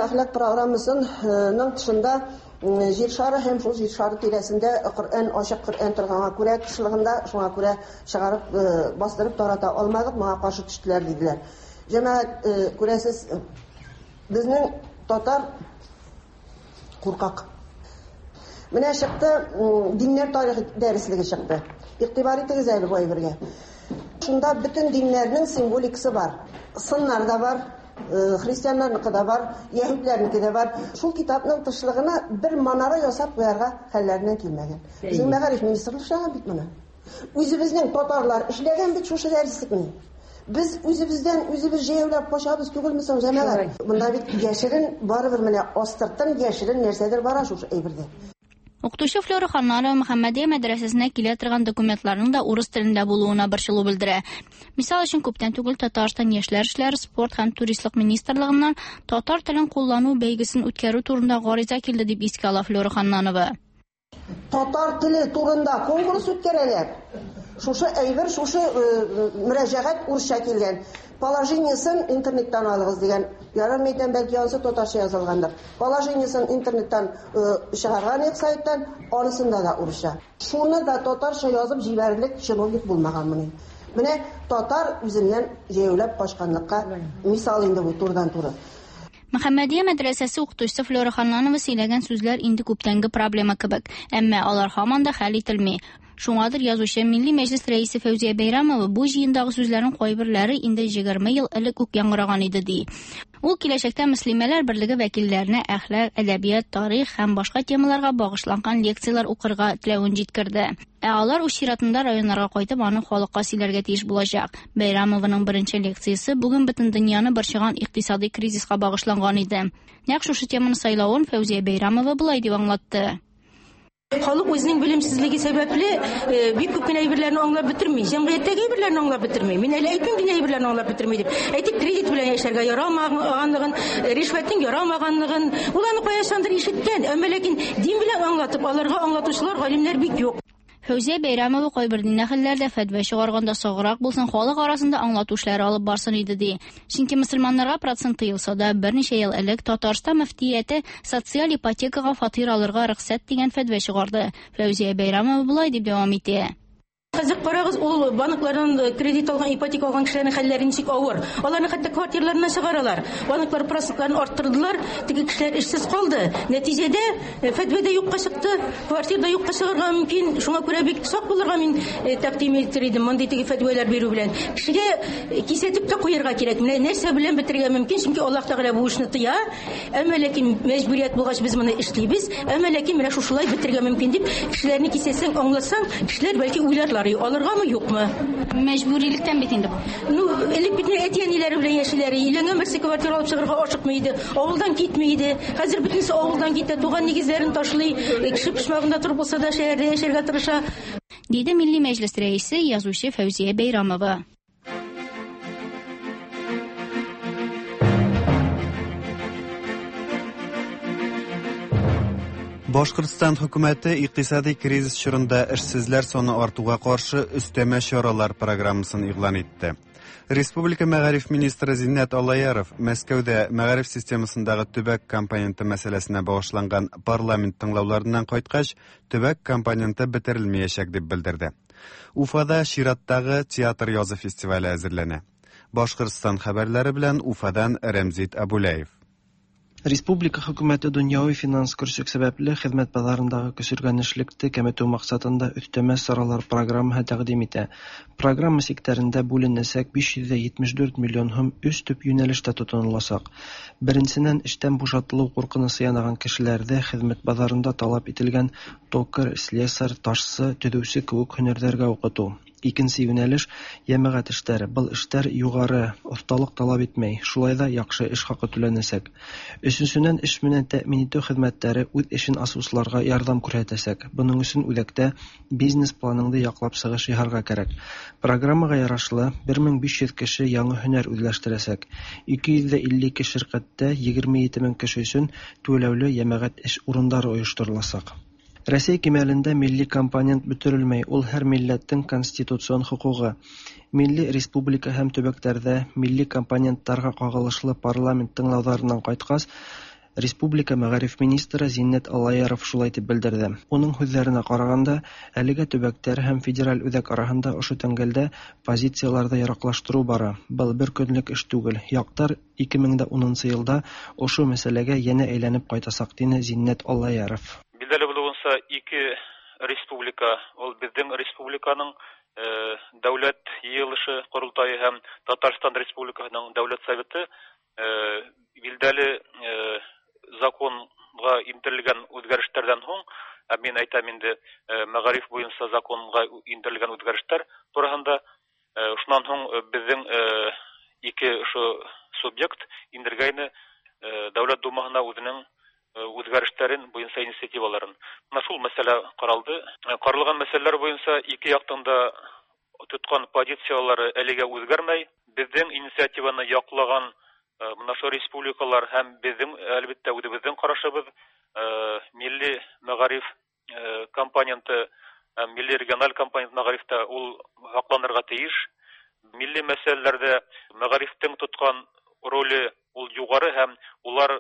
Speaker 15: Әхлак программасының тышында җир шары һәм шул җир шары тирәсендә Коръән, ачык Коръән торганга күрә, тышлыгында шуңа күрә чыгарып бастырып тарата алмадык, моңа каршы төштеләр диделәр. Җәмәгать, күрәсез, безнең татар куркак. Менә чыкты диннәр тарихы дәреслеге чыкты. Игътибар итегез әле бу әйбергә. Шунда бөтен диннәрнең символикасы бар. Сыннар да бар, христианнарныкы да бар, яһүдләрнеке дә бар. Шул китапның тышлыгына бер манара ясап куярга хәлләреннән килмәгән. Безнең мәгариф министрлыгы эшләгән бит моны. Үзебезнең татарлар эшләгән бит шушы дәреслекне. Без үзебездән үзебез җәяүләп качабыз түгелме соң, җәмәгать? Монда бит яшерен, барыбер менә астыртын яшерен нәрсәдер бара шушы әйбердә.
Speaker 14: Укытучы Флюра Ханнанова Мөхәммәдия мәдрәсәсенә килә торган документларның да урыс телендә булуына борчылу белдерә. Мисал өчен, күптән түгел Татарстан яшьләр эшләре, спорт һәм туристлык министрлыгыннан татар телен куллану бәйгесен үткәрү турында гариза килде дип искә ала Флюра Ханнанова.
Speaker 15: Татар теле турында конкурс үткәрәләр. Шушы әйбер, шушы мөрәҗәгать урысча килгән. Положениесен интернеттан алыгыз дигән. Ярар, мәйтәм, бәлки анысы татарча язылгандыр. Положениесен интернеттан чыгарган идек сайттан, анысында да урысча. Шуны да татарча язып җибәрерлек чиновник булмаган моның. Менә татар үзеннән җәяүләп качканлыкка мисал инде бу турыдан-туры.
Speaker 14: Мөхәммәдия мәдрәсәсе укытучысы Флюра Ханнанова сөйләгән сүзләр инде күптәнге проблема кебек, әмма алар һаман да хәл ителми. Шуңадыр язучы Милли Мәҗлес рәисе Фәүзия Бәйрәмова бу җыендагы сүзләрнең кайберләре инде егерме ел элек үк яңгыраган иде ди. Ул киләчәктә Мөслимәләр берлеге вәкилләренә әхлак, әдәбият, тарих һәм башка темаларга багышланган лекцияләр укырга теләвен җиткерде. Ә алар үз чиратында районнарга кайтып аны халыкка сөйләргә тиеш булачак. Бәйрәмованың беренче лекциясе бүген бөтен дөньяны борчыган икътисади кризиска багышланган иде. Нәкъ шушы теманы сайлавын Фәүзия Бәйрәмова болай дип аңлатты.
Speaker 17: Халык үзенең белемсезлеге сәбәпле бик күп кенә әйберләрне аңлап бетерми, җәмгыятьтәге әйберләрне аңлап бетерми. Мин әле әйтмим дини әйберләрне аңлап бетерми дип. Әйтик, кредит белән яшәргә ярамаганлыгын, ришвәтнең ярамаганлыгын, ул аны кайчандыр ишеткән, әмма ләкин дин белән аңлатып, аларга аңлатучылар, галимнәр бик юк.
Speaker 14: Фәүзия Бәйрәмова кайбер дин әһелләре дә фәтва чыгарганда саграк булсын, халык арасында аңлату эшләре алып барсын иде ди. Чөнки мөселманнарга процент тыелса да, берничә ел элек Татарстан мөфтияте социаль ипотекага фатир алырга рөхсәт дигән фәтва чыгарды. Фәүзия Бәйрәмова болай дип дәвам итә.
Speaker 17: Хәзер карагыз, ул банклардан кредит алган, ипотека алган кешеләрнең хәлләре ничек авыр. Аларны хәтта квартираларыннан чыгаралар. Банклар процентларын арттырдылар, теге кешеләр эшсез калды. Нәтиҗәдә фәтва дә юкка чыкты, квартир да юкка чыгарга мөмкин. Шуңа күрә бик сак булырга мин тәкъдим итер идем мондый теге фәтвәләр бирү белән. Кешегә кисәтеп тә куярга кирәк. Менә нәрсә белән бетерергә мөмкин, чөнки Аллаһ Тәгалә бу эшне тыя. Әмма ләкин мәҗбүрият булгач без моны эшлибез. Әмма ләкин менә шушылай бетерергә мөмкин дип кешеләрне кисәтсәң, аңлатсаң, кешеләр бәлки уйларлар. карый, алыргамы, юкмы?
Speaker 14: Мәҗбүрилектән бит инде бу.
Speaker 17: Ну, элек бит әти-әниләре белән яшиләр, өйләнгән берсе квартира алып чыгарга ашыкмый иде, авылдан китми иде. Хәзер бөтенесе авылдан китә, туган нигезләрен ташлый, кеше почмагында торып булса да шәһәрдә яшәргә тырыша.
Speaker 14: Диде Милли Мәҗлес рәисе, язучы Фәүзия Бәйрамова.
Speaker 1: Башкортстан хөкүмәте икътисади кризис чорында эшсезләр саны артуга каршы өстәмә чаралар программасын игълан итте. Республика мәгариф министры Зиннәт Аллаяров Мәскәүдә мәгариф системасындагы төбәк компоненты мәсьәләсенә багышланган парламент тыңлауларыннан кайткач, төбәк компоненты бетерелмәячәк дип белдерде. Уфада чираттагы театр язы фестивале әзерләнә. Башкортстан хәбәрләре белән Уфадан Рәмзит Абулаев.
Speaker 18: Республика хөкүмәте дөньяви финанс көрсек сәбәпле хезмәт базарындагы көсөргәнешлекте кәметү максатында өстәмә чаралар программаһы тәкъдим итә. Программа сиктәрендә бүленәсәк биш йөз җитмеш дүрт миллион һум өч төп юнәлештә тотынылачак. Беренсеннән, эштән бушатылу куркынычы янаган кешеләрдә хезмәт базарында таләп ителгән токарь, слесарь, ташчы, төзүче кебек һөнәрләргә укыту. Икенче юнәлеш йәмәгать эшләре. Был эшләр югары осталык таләп итмәй, шулай да яхшы эш хакы түләнәсәк. Өченченнән, эш менән тәэмин итү хезмәтләре үз эшен асучыларга ярдәм күрсәтәсәк. Буның өчен үзәктә бизнес планыңды яклап чыгыш яһарга кирәк. Программага ярашлы бер мең биш йөз кеше яңа һөнәр үзләштерәсәк. ике йөз илле ике ширкәттә егерме ете мең кеше өчен түләүле йәмәгать эш урындары оештырылачак. Рәсәй кимәлендә милли компонент бөтерелмәй, ул һәр милләттең конституцион хокугы. Милли республика һәм төбәкләрдә милли компонентларга кагылышлы парламент тыңлауларыннан кайткач, Республика мәгариф министры Зиннәт Аллаяров шулай дип белдерде. Уның һүҙҙәренә ҡарағанда, әлегә төбәктәр һәм федераль үҙәк араһында ошо тәңгәлдә позицияларҙы яраҡлаштырыу бара. Был бер көнлөк эш түгел. Яҡтар ике мең дә унынсы йылда ошо мәсьәләгә йәнә әйләнеп ҡайтасаҡ, тине Зиннәт Аллаяров.
Speaker 7: Билдәле булыуынса, ике республика, ул беҙҙең республиканың дәүләт йыйылышы ҡоролтайы һәм Татарстан Республикаһының дәүләт советы билдәле законға индерелгән үҙгәрештәрҙән һуң, ә мин әйтәм инде мәғариф буйынса законға индерелгән үҙгәрештәр тураһында, шунан һуң беҙҙең ике ошо субъект индергәйне Дәүләт Думаһына үҙенең үҙгәрештәрен буйынса инициативаларын. Мына шул мәсьәлә ҡаралды. Ҡаралған мәсьәләләр буйынса ике яҡтың да тотҡан позициялары әлегә үҙгәрмәй. Беҙҙең инициативаны яҡлаған мына ошо республикалар һәм беҙҙең, әлбиттә, үҙебеҙҙең ҡарашыбыҙ милли мәғариф компоненты, милли региональ компонент мәғарифтә ул һаҡланырға тейеш. Милли мәсьәләләрҙә мәғарифтең тотҡан роле ул юғары һәм улар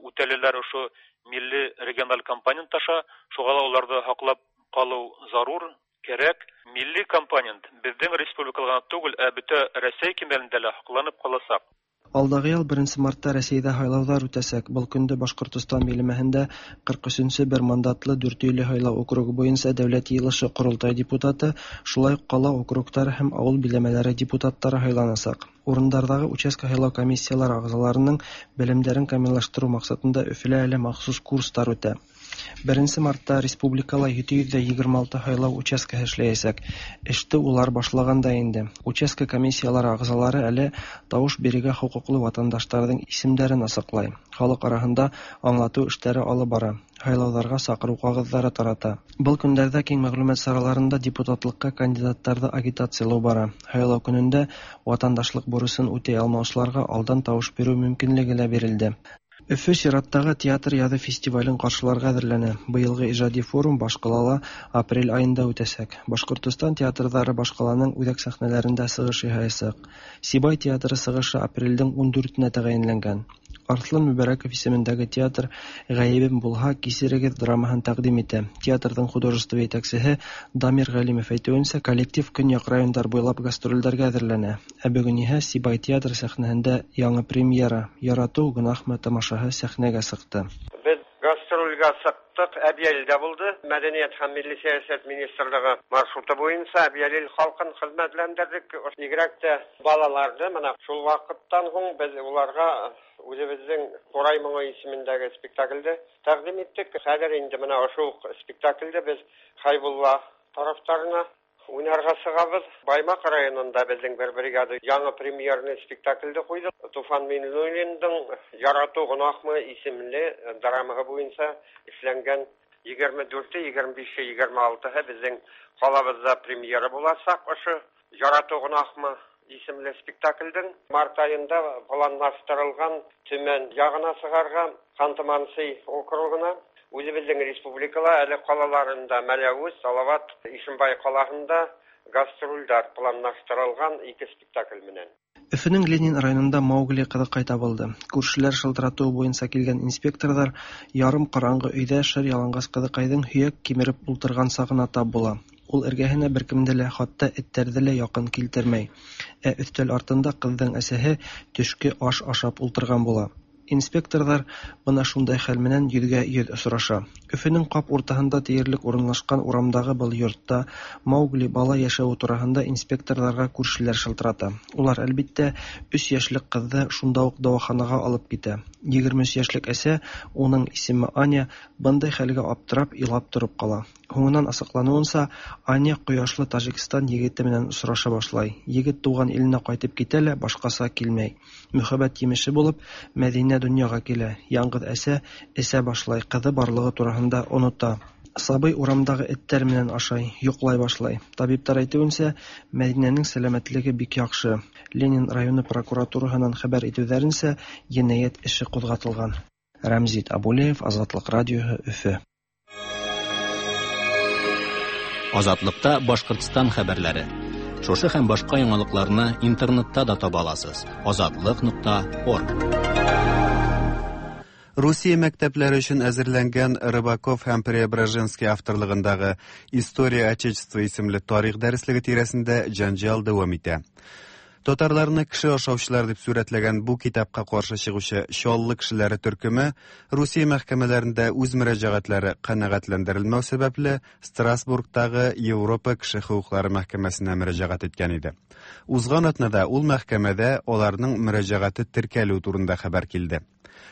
Speaker 7: үтәлеләр ошо милли региональ компонент аша, шуға ла уларҙы һаҡлап ҡалыу зарур, кәрәк. Милли компонент беҙҙең республикала ғына түгел, ә бөтә Рәсәй кимәлендә лә һаҡланып ҡаласаҡ.
Speaker 18: Алдағы йыл беренсе мартта Рәсәйҙә һайлауҙар үтәсәк. Был көндө Башҡортостан биләмәһендә ҡырҡ өсөнсө бер мандатлы Дүртөйлө һайлау округы буйынса дәүләт йыйылышы ҡоролтай депутаты, шулай уҡ ҡала округтары һәм ауыл биләмәләре депутаттары һайланасаҡ. Урындарҙағы участка һайлау комиссиялары ағзаларының белемдәрен камиллаштырыу маҡсатында Өфөлә әле махсус курстар үтә. Беренсе мартта республикала ете йөҙ егерме алты һайлау участкаһы эшләйәсәк. Эште улар башлаған да инде. Участка комиссиялары ағзалары әле тауыш бирергә хоҡуҡлы ватандаштарҙың исемдәрен асыҡлай. Халыҡ араһында аңлатыу эштәре алып бара. Һайлауҙарға саҡырыу ҡағыҙҙары тарата. Был көндәрҙә киң мәғлүмәт сараларында депутатлыҡҡа кандидаттарҙы агитациялау бара. Һайлау көнөндә ватандашлыҡ бурысын үтәй алмаусыларға алдан тауыш биреү мөмкинлеге лә бирелде. Өфө сираттағы театр яҙы фестивален ҡаршыларға әҙерләнә. Быйылғы ижади форум башҡалала апрель айында үтәсәк. Башҡортостан театрҙары башҡаланың үҙәк сәхнәләрендә сығыш яһаясаҡ. Сибай театры сығышы апрелдең ун дүртенә тәғәйенләнгән. Арслан Мөбәрәков исемендәге театр «Ғәйебем булһа, кисерегеҙ» драмаһын тәҡдим итә. Театрҙың художество етәксеһе Дамир Ғәлимов әйтеүенсә, коллектив көньяҡ райондар буйлап гастролдәргә әҙерләнә. Ә бөгөн иһә Сибай театры сәхнәһендә яңы премьера «Яратыу гөнаһмы» тамашаһы сәхнәгә сыҡты.
Speaker 19: Беҙ гастролгә сыҡтыҡ, Әбйәлилдә булды. Мәҙәниәт һәм милли сәйәсәт министрлығы маршруты буйынса Әбйәлил халҡын хеҙмәтләндерҙек. Бигерәк тә балаларҙы. Мына шул ваҡыттан һуң беҙ уларға үҙебеҙҙең Ҡурай моңо исемендәге спектаклде тәҡдим иттек. Хәҙер инде мына ошо уҡ спектаклде беҙ Хәйбулла тарафтарына уйнарга чыгабыз. Баймак районында безнең бер бригада яңа премьерный спектакльде куйды. Туфан Миңнуллинның «Ярату гөнаһмы» исемле драмасы буенча эшләнгән егерме дүрте, егерме бише, егерме алтыһы безнең калабызда премьера булачак. Ошо «Ярату гөнаһмы» исемле спектакльдең март аенда планлаштырылган Төмән ягына чыгарга, Ханты-Мансый округына. Үзебезнең республикала әле калаларында Мәләвез, Салават, Ишембай каласында гастрольләр планлаштырылган ике спектакль менән.
Speaker 18: Өфөнең Ленин районында Маугли кызыкай табылды. Күршеләр шылтыратуы буенча килгән инспекторлар ярым караңгы өйдә шыр ялангач кызыкайның һөяк кимереп ултырган сагына тап була. Ул эргәһенә беркемде лә, хатта этләрҙе лә якын килтермәй. Ә өҫтәл артында ҡыҙҙың әсәһе төшкө аш ашап ултырған була. Инспекторҙар бына шундай хәл менән йөҙгә йөҙ осраша. Өфөнөң ҡап уртаһында тиерлек урынлашҡан урамдағы был йортта Маугли бала йәшәүе тураһында инспекторҙарға күршеләр шылтырата. Улар, әлбиттә, өс йәшлек ҡыҙҙы шунда уҡ дауаханаға алып китә. Егерме өс йәшлек әсә, уның исеме Аня, бындай хәлгә аптырап, илап тороп ҡала. Һуңынан асыҡланыуынса, Аня ҡояшлы Тажикстан егете менән осраша башлай. Егет тыуған иленә ҡайтып китә лә башҡаса килмәй. Мөхәббәт емеше булып, Мәҙинә донъяға килә. Яңғыҙ әсә эсә башлай, ҡыҙы барлығы тураһында онота. Сабый урамдағы эттәр менән ашай, йоҡлай башлай. Табиптар әйтеүенсә, Мәҙинәнең сәләмәтлеге бик яҡшы. Ленин районы прокуратураһынан хәбәр итеүҙәренсә, енәйәт эше ҡуҙғатылған. Рәмзит Абулеев, Азатлыҡ радиоһы, Өфө.
Speaker 2: Азатлыкта Башкортстан хәбәрләре. Шушы һәм башка яңалыкларны интернетта да таба аласыз. азатлык нокта орг.
Speaker 1: Русия мәктәпләре өчен әзерләнгән Рыбаков һәм Преображенский авторлыгындагы «История Отечества» исемле тарих дәреслеге тирәсендә җанҗал дәвам итә. Татарларны кеше ашаучылар дип сурәтләгән бу китапка каршы чыгучы Чаллы кешеләре төркеме Русия мәхкәмәләрендә үз мөрәҗәгатьләре канәгатьләндерелмәү сәбәпле Страсбургтагы Европа кеше хокуклары мәхкәмәсенә мөрәҗәгать иткән иде. Узган атнада ул мәхкәмәдә аларның мөрәҗәгате теркәлү турында хәбәр килде.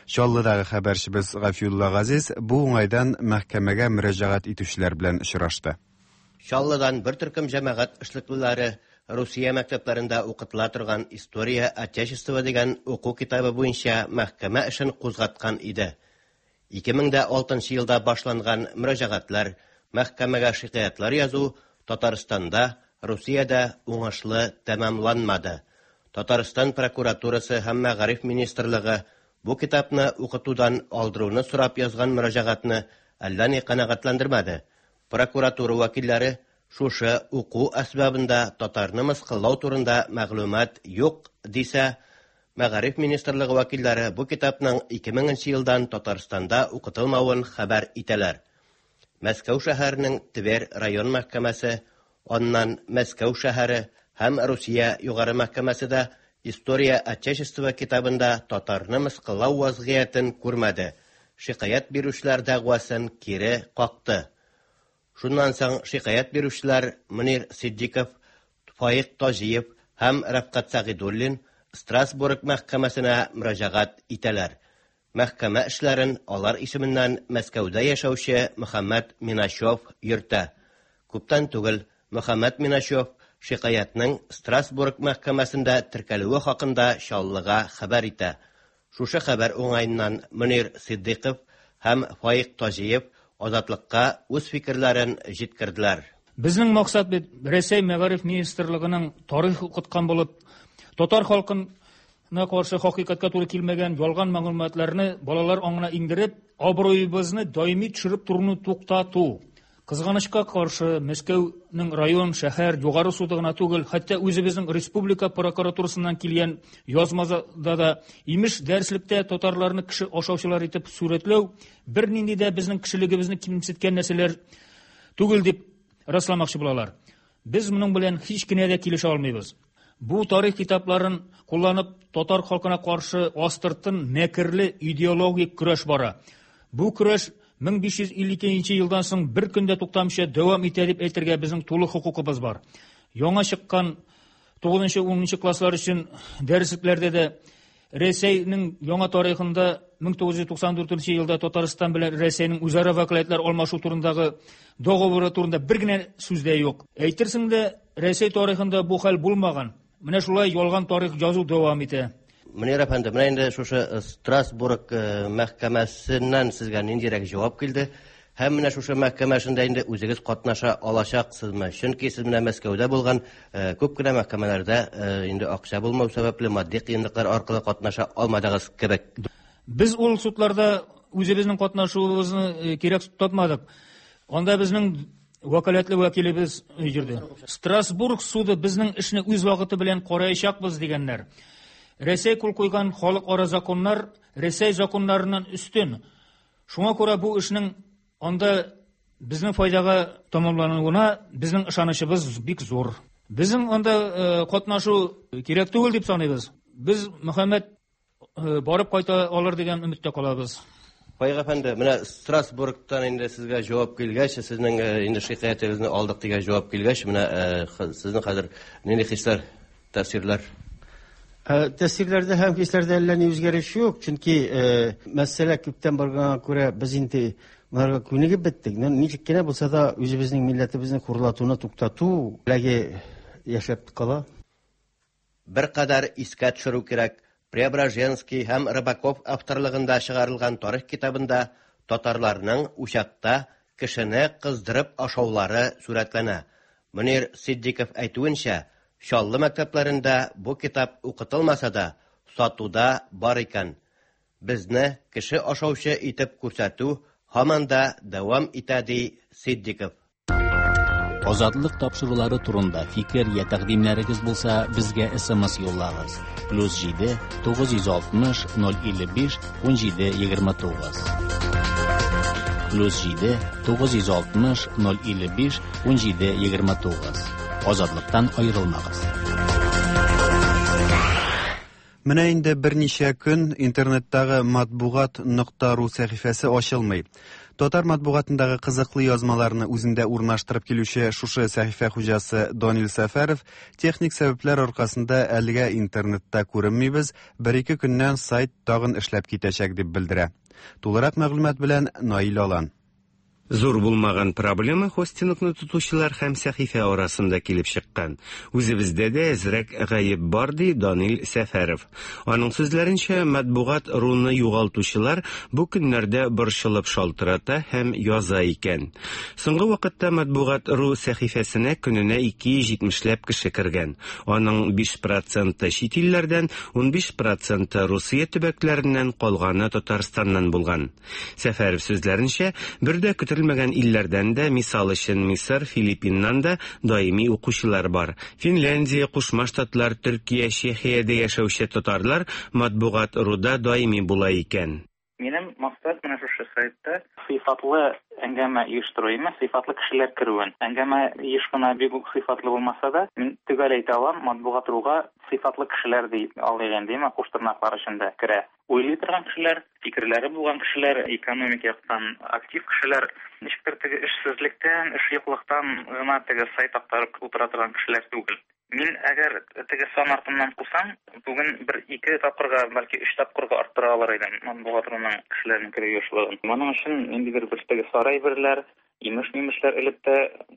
Speaker 1: Чаллыдагы хәбәрчебез Гафиулла Газиз бу уңайдан мәхкәмәгә мөрәҗәгать итүчеләр белән очрашты.
Speaker 20: Чаллыдан бер төркем җәмәгать эшлеклеләре Русия мәктәпләрендә укытыла торган «История Отечества» дигән уку китабы буенча мәхкәмә эшен кузгаткан иде. ике мең дә алтынчы елда башланган мөрәҗәгатьләр, мәхкәмәгә шикаятьләр язу Татарстанда, Русиядә уңышлы тәмамланмады. Татарстан прокуратурасы һәм мәгариф министрлыгы бу китапны укытудан алдыруны сорап язган мөрәҗәгатьне әллә ни канәгатьләндермәде. Прокуратура вәкилләре шушы уку әсбабында татарны мыскыллау турында мәгълүмат юк дисә, Мәгариф министрлыгы вәкилләре бу китапның ике меңенче елдан Татарстанда укытылмавын хәбәр итәләр. Мәскәү шәһәренең Тверь район мәхкәмәсе, аннан Мәскәү шәһәре һәм Русия югары мәхкәмәсе дә «История Отечества» китабында татарны мыскыллау вазгыятен күрмәде. Шикаять бирүчеләр дәгъвасын кире какты. Шуннан соң шикаять бирүчеләр Мөнир Сиддиков, Фаик Таҗиев һәм Рәфкать Сәгыйдуллин Страсбург мәхкәмәсенә мөрәҗәгать итәләр. Мәхкәмә эшләрен алар исеменнән Мәскәүдә яшәүче Мөхәммәт Миначев йөртә. Күптән түгел Мөхәммәт Миначев шикаятның Страсбург мәхкәмәсендә теркәлүе хакында Чаллыга хәбәр итә. Шушы хәбәр уңаеннан Мөнир Сиддиков һәм Фаик Таҗиев Азатлыкка үз фикерләрен җиткерделәр.
Speaker 21: Безнең максат бит Рәсәй мәгариф министрлыгының тарих укыткан булып, татар халкына каршы хакыйкатькә туры килмәгән ялган мәгълүматларны балалар аңына иңдереп, абруебызны даими төшереп торуны туктату. Кызганычка каршы, Мәскәүнең район, шәһәр, югары суды гына түгел, хәтта үзебезнең республика прокуратурасыннан килгән язмада да имеш дәреслектә татарларны кеше ашаучылар итеп сурәтләү бернинди дә безнең кешелегебезне кимсеткән нәрсәләр түгел дип расламакчы булалар. Без моның белән һич кенә дә килешә алмыйбыз. Бу тарих китапларын кулланып татар халкына каршы астыртын мәкерле идеологик көрәш бара. Бу көрәш мең биш йөз илле икенче елдан соң бер көндә туктамыйча дәвам итә дип әйтергә безнең тулы хокукыбыз бар. Яңа чыккан тугызынчы, унынчы класслар өчен дәреслекләрдә дә Рәсәйнең яңа тарихында мең тугыз йөз туксан дүртенче елда Татарстан белән Рәсәйнең үзара вәкаләтләр алмашу турындагы договоры турында бер генә сүз дә юк. Әйтерсең дә, Рәсәй тарихында бу хәл булмаган. Менә шулай ялган тарих язу дәвам итә.
Speaker 20: Мөнир әфәнде, менә инде шушы Страсбург мәхкәмәсеннән сезгә ниндирәк җавап килде? Һәм менә шушы мәхкәмә эшендә инде үзегез катнаша алачаксызмы? Чөнки сез менә Мәскәүдә булган күп кенә мәхкәмәләрдә инде акча булмау сәбәпле матди кыенлыклар аркылы катнаша алмадыгыз кебек.
Speaker 21: Без ул судларда үзебезнең катнашуыбызны кирәк тапмадык. Анда безнең вәкаләтле вәкилебез йөрде. Страсбург суды безнең эшне үз вакыты белән караячакбыз дигәннәр. Рәсәй кул куйган халыкара законнар Рәсәй законнарыннан өстен. Шуңа күрә бу эшнең анда безнең файдага тамамлануына безнең ышанычыбыз бик зур. Безнең анда катнашу кирәк түгел дип саныйбыз. Без Мөхәммәд барып кайта алыр дигән өметтә калабыз.
Speaker 20: Файык әфәнде, менә Страсбургтан инде сезгә җавап килгәч, сезнең инде шикаятегезне алдык дигән җавап килгәч, менә сезнең хәзер нинди хисләр, тәэсирләр?
Speaker 4: Тәэсирләрдә һәм хисләрдә әллә ни үзгәреш юк, чөнки мәсьәлә күптән барганга күрә без инде моңарга күнегеп беттек. Ничек кенә булса да үзебезнең милләтебезне хурлатуны туктату теләге яшәп кала.
Speaker 20: Беркадәр искә төшерү кирәк. Преображенский һәм Рыбаков авторлыгында чыгарылган тарих китабында татарларның учакта кешене кыздырып ашаулары сурәтләнә. Мөнир Сиддиков әйтүенчә, Чаллы мәктәпләрендә бу китап укытылмаса да, сатуда бар икән. Безне кеше ашаучы итеп күрсәтү һаман да дәвам итә, ди Сиддиков.
Speaker 2: Азатлык тапшырулары турында фикер я тәкъдимнәрегез булса, безгә эс эм эс юллагыз. Плюс җиде тугыз йөз алтмыш ноль илле биш ун җиде егерме тугыз. Плюс җиде тугыз йөз алтмыш ноль илле биш ун җиде егерме тугыз. Азатлыктан аерылмагыз.
Speaker 1: Менә инде берничә көн интернеттагы матбугат нокта ру сәхифәсе ачылмый. Татар матбугатындагы кызыклы язмаларны үзендә урнаштырып килүче шушы сәхифә хуҗасы Данил Сәфәров техник сәбәпләр аркасында әлегә интернетта күренмибез, бер-ике көннән сайт тагын эшләп китәчәк дип белдерә. Тулырак мәгълүмат белән Наил Алан.
Speaker 22: Зур булмаган проблема хостингны тотучылар һәм сәхифә арасында килеп чыккан. Үзебездә дә әзрәк гаеп бар, ди Данил Сәфәров. Аның сүзләренчә, матбугат руны югалтучылар бу көннәрдә борчылып шалтырата һәм яза икән. Соңгы вакытта матбугат ру сәхифәсенә көненә ике йөз җитмешләп кеше кергән. Аның биш проценты чит илләрдән, унбиш проценты Русия төбәкләреннән, калганы Татарстаннан булган. Сәфәров сүзләренчә, бер дә көтелмәгән илләрдән дә, мисал өчен Мисыр, Филиппиннан да даими укучылар бар. Финляндия, Кушма Штатлар, Төркия, Чехиядә яшәүче татарлар матбугат руда даими була икән.
Speaker 23: Минем максат менә шушы сайтта сыйфатлы әңгәмә оештыру имеш, сыйфатлы кешеләр керүен. Әңгәмә еш кына бик үк сыйфатлы булмаса да, мин төгәл әйтә алам, матбугат руга сыйфатлы кешеләр ди алыйк инде, куш тырнаклар эчендә керә. Уйлый торган кешеләр, фикерләре булган кешеләр, экономик яктан актив кешеләр, ничектер теге эшсезлектән, эш юклыктан гына теге сайт актарып утыра торган кешеләр түгел. Мин әгәр теге сан артыннан кусам, бүген бер ике тапкырга, бәлки өч тапкырга арттыра алыр идем матбугат руның кешеләрнең керү ешлыгын. Моның өчен ниндидер бер теге сарай берләр, имеш-мимешләр элеп тә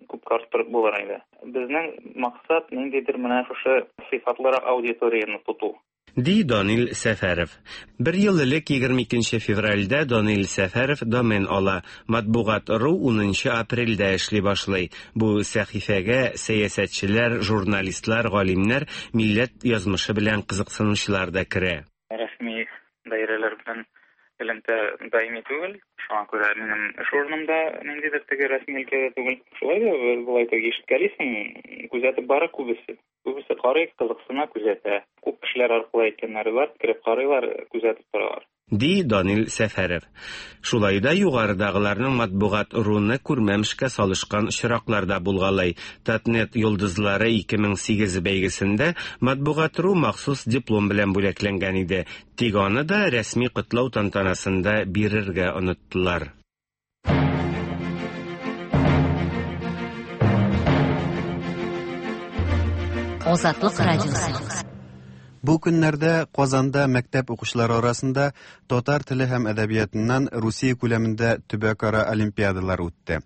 Speaker 23: күпкә арттырып булыр иде. Безнең максат ниндидер менә шушы сыйфатлырак аудиторияне тоту.
Speaker 22: Ди Данил Сәфәров. Бер ел элек егерме икенче февральдә Данил Сәфәров домен ала. Матбугат ру унынчы апрельдә эшли башлый. Бу сәхифәгә сәясәтчеләр, журналистлар, галимнәр, милләт язмышы белән кызыксынучылар да керә.
Speaker 23: Рәсми даирәләр белән элемтә даими түгел. Шуңа күрә минем эш урыным да ниндидер теге рәсми өлкәдә түгел. Шулай да болай теге ишеткәлисең, күзәтеп бара күбесе. Күбесе карый, кызыксына, күзәтә. Күп кешеләр аркылы әйткәннәре бар, кереп карыйлар, күзәтеп торалар.
Speaker 22: Ди Данил Сәфәров. Шулай да югарыдагыларның матбугат руны күрмәмешкә салышкан очраклар да булгалай. Татнет йолдызлары ике мең сигез бәйгесендә матбугат ру махсус диплом белән бүләкләнгән иде. Тик аны да рәсми котлау тантанасында бирергә оныттылар.
Speaker 3: Азатлык радиосы.
Speaker 1: Бу көннәрдә Казанда мәктәп укучылары арасында татар теле һәм әдәбиятыннан Русия күләмендә төбәкара олимпиадалар үтте.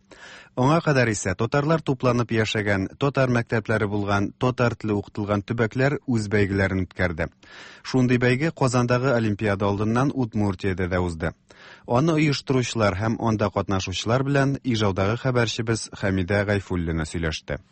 Speaker 1: Аңа кадәр исә татарлар тупланып яшәгән, татар мәктәпләре булган, татар теле укытылган төбәкләр үз бәйгеләрен үткәрде. Шундый бәйге Казандагы олимпиада алдыннан Удмуртиядә дә узды. Аны оештыручылар һәм анда катнашучылар белән Ижаудагы хәбәрчебез Хәмидә Гайфуллина сөйләште.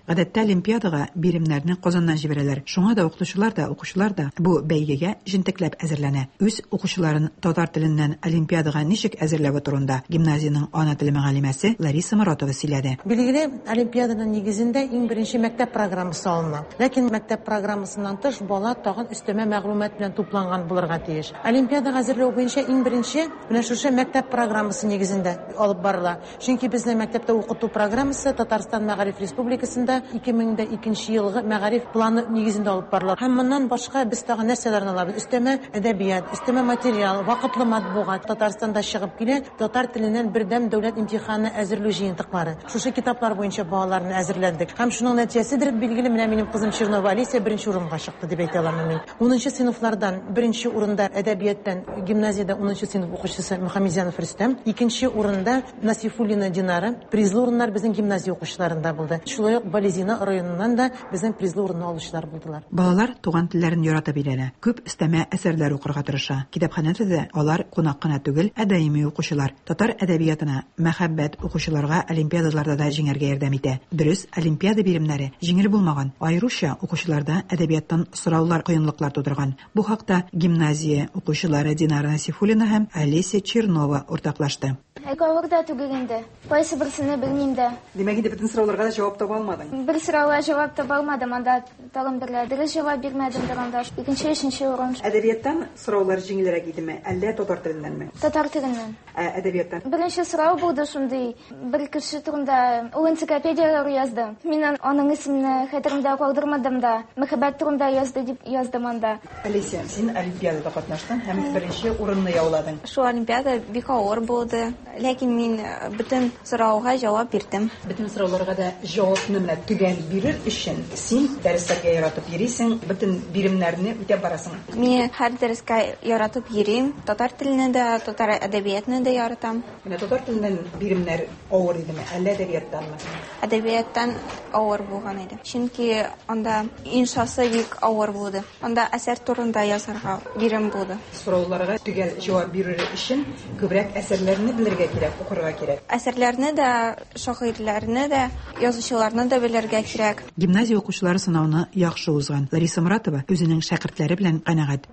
Speaker 5: Гадәттә олимпиадага биремнәрне Казаннан җибәрәләр. Шуңа да укытучылар да, укучылар да бу бәйгегә җентекләп әзерләнә. Үз укучыларын татар теленнән олимпиадага ничек әзерләве турында гимназиянең ана теле мөгаллимәсе Лариса Моратова сөйләде.
Speaker 6: Билгеле, олимпиаданың нигезендә иң беренче мәктәп программасы алына. Ләкин мәктәп программасыннан тыш бала тагын өстәмә мәгълүмат белән тупланган булырга тиеш. Олимпиадага әзерләү буенча иң беренче менә шушы мәктәп программасы нигезендә алып барыла. Чөнки безнең мәктәптә укыту программасы Татарстан Мәгариф Республикасында ике мең дә икенче елгы мәгариф планы нигезендә алып барыла. Һәм моннан башка без тагын нәрсәләрне алабыз? Өстәмә әдәбият, өстәмә материал, вакытлы матбугат. Татарстанда чыгып килә татар теленнән бердәм дәүләт имтиханы әзерләү җыентыклары. Шушы китаплар буенча балаларны әзерләндек. Һәм шуның нәтиҗәседер, билгеле, менә минем кызым Чернова Алисия беренче урынга чыкты дип әйтә алам мин. Унынчы сыйныфлардан беренче урында әдәбияттан гимназиядә унынчы сыйныф укучысы Мөхәммәтзянов Рөстәм, икенче урында Насифуллина Динара. Призлы урыннар безнең гимназия укучыларында булды. Шулай ук Балезина районыннан да безнең призлы урынны алучылар булдылар.
Speaker 5: Балалар туган телләрен яратып өйрәнә. Күп өстәмә әсәрләр укырга тырыша. Китапханәдә дә алар кунак кына түгел, ә даими укучылар. Татар әдәбиятына мәхәббәт укучыларга олимпиадаларда да җиңәргә ярдәм итә. Дөрес, олимпиада биремнәре җиңел булмаган. Аеруча укучыларда әдәбияттан сораулар кыенлыклар тудырган. Бу хакта гимназия укучылары Динара Насифуллина һәм Олеся Чернова уртаклашты.
Speaker 11: Авыр да түгел инде. Кайсы берсен белмим дә.
Speaker 5: Димәк, инде бөтен сорауларга да җавап таба алмадың.
Speaker 11: Бер сорауга җавап таба алмадым, анда тагын берлә дөрес җавап бирмәдем дә анда. Икенче, өченче урын.
Speaker 5: Әдәбияттан сораулар җиңелрәк идеме, әллә татар теленнәнме?
Speaker 11: Татар теленнән.
Speaker 5: Ә әдәбияттан?
Speaker 11: Беренче сорау булды шундый. Бер кеше турында ул энциклопедияләр язды. Мин аның исемен хәтеремдә калдырмадым да. Мәхәббәт турында язды дип яздым анда.
Speaker 5: Алисия, син олимпиадада катнаштың һәм беренче урынны яуладың.
Speaker 24: Шул олимпиада бик авыр булды. Ләкин мин бөтен сорауга җавап бирдем.
Speaker 5: Бөтен сорауларга да җавапны менә төгәл бирер өчен син дәресләргә яратып йөрисең, бөтен биремнәрне үтәп барасың.
Speaker 24: Мин һәр дәрескә яратып йөрим. Татар телене дә, татар әдәбиятны да яратам.
Speaker 5: Менә татар теленнән биремнәр авыр идеме, әллә әдәбияттанмы?
Speaker 24: Әдәбияттан авыр булган иде. Чөнки анда иншасы бик авыр булды. Анда әсәр турында язарга бирем булды.
Speaker 5: Сорауларга төгәл җавап бирер өчен күбрәк әсәрләрне белергә кирәк, укырга кирәк.
Speaker 24: Әсәрләрне дә, шагыйрьләрне дә, язучыларны да белергә кирәк.
Speaker 5: Гимназия укучылары сынауны яхшы узган. Лариса Муратова үзенең шәкертләре белән канәгать.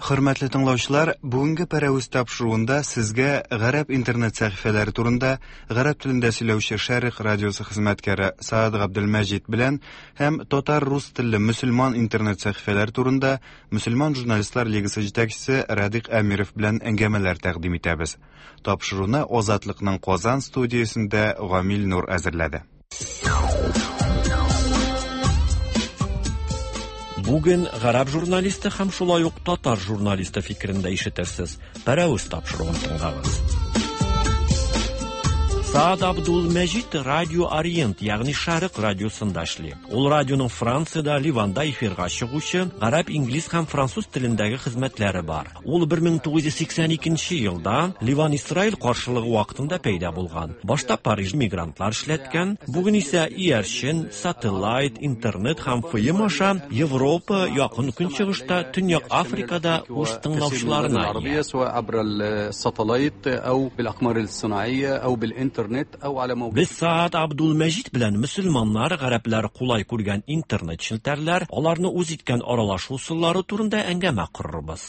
Speaker 1: Хөрмәтле тыңлаучылар, бүгенге Пәрәвез тапшыруында сезгә гарәп интернет сәхифәләре турында гарәп телендә сөйләүче Шәрык радиосы хезмәткәре Саад Габделмәҗид белән һәм татар-рус телле мөселман интернет сәхифәләре турында Мөселман журналистлар лигасы җитәкчесе Радик Әмиров белән әңгәмәләр тәкъдим итәбез. Тапшыруны Азатлыкның Казан студиясендә Гамил Нур әзерләде.
Speaker 25: Бүген гарәп журналисты һәм шулай ук татар журналисты фикерен дә ишетерсез. Пәрәвез тапшыруын тыңлагыз. Саад Абдул-Мәҗид Радио Ориент, ягъни Шәрык радиосында эшли. Ул радионың Франциядә, Ливанда эфирга чыгучы гарәп, инглиз һәм француз телендәге хезмәтләре бар. Ул бер мең тугыз йөз сиксән икенче елда Ливан-Исраил каршылыгы вакытында пәйда булган. Башта Париж мигрантлар эшләткән, бүген исә иярчен, сателлайт, интернет һәм эф эм аша Европа, Якын Көнчыгышта, Төньяк Африкада үз тыңлаучыларына ия. Без Саад Абдул-Мәҗид белән мөселманнар, гарәпләр кулай күргән интернет челтәрләр, аларны үз иткән аралашу ысуллары турында әңгәмә корырбыз.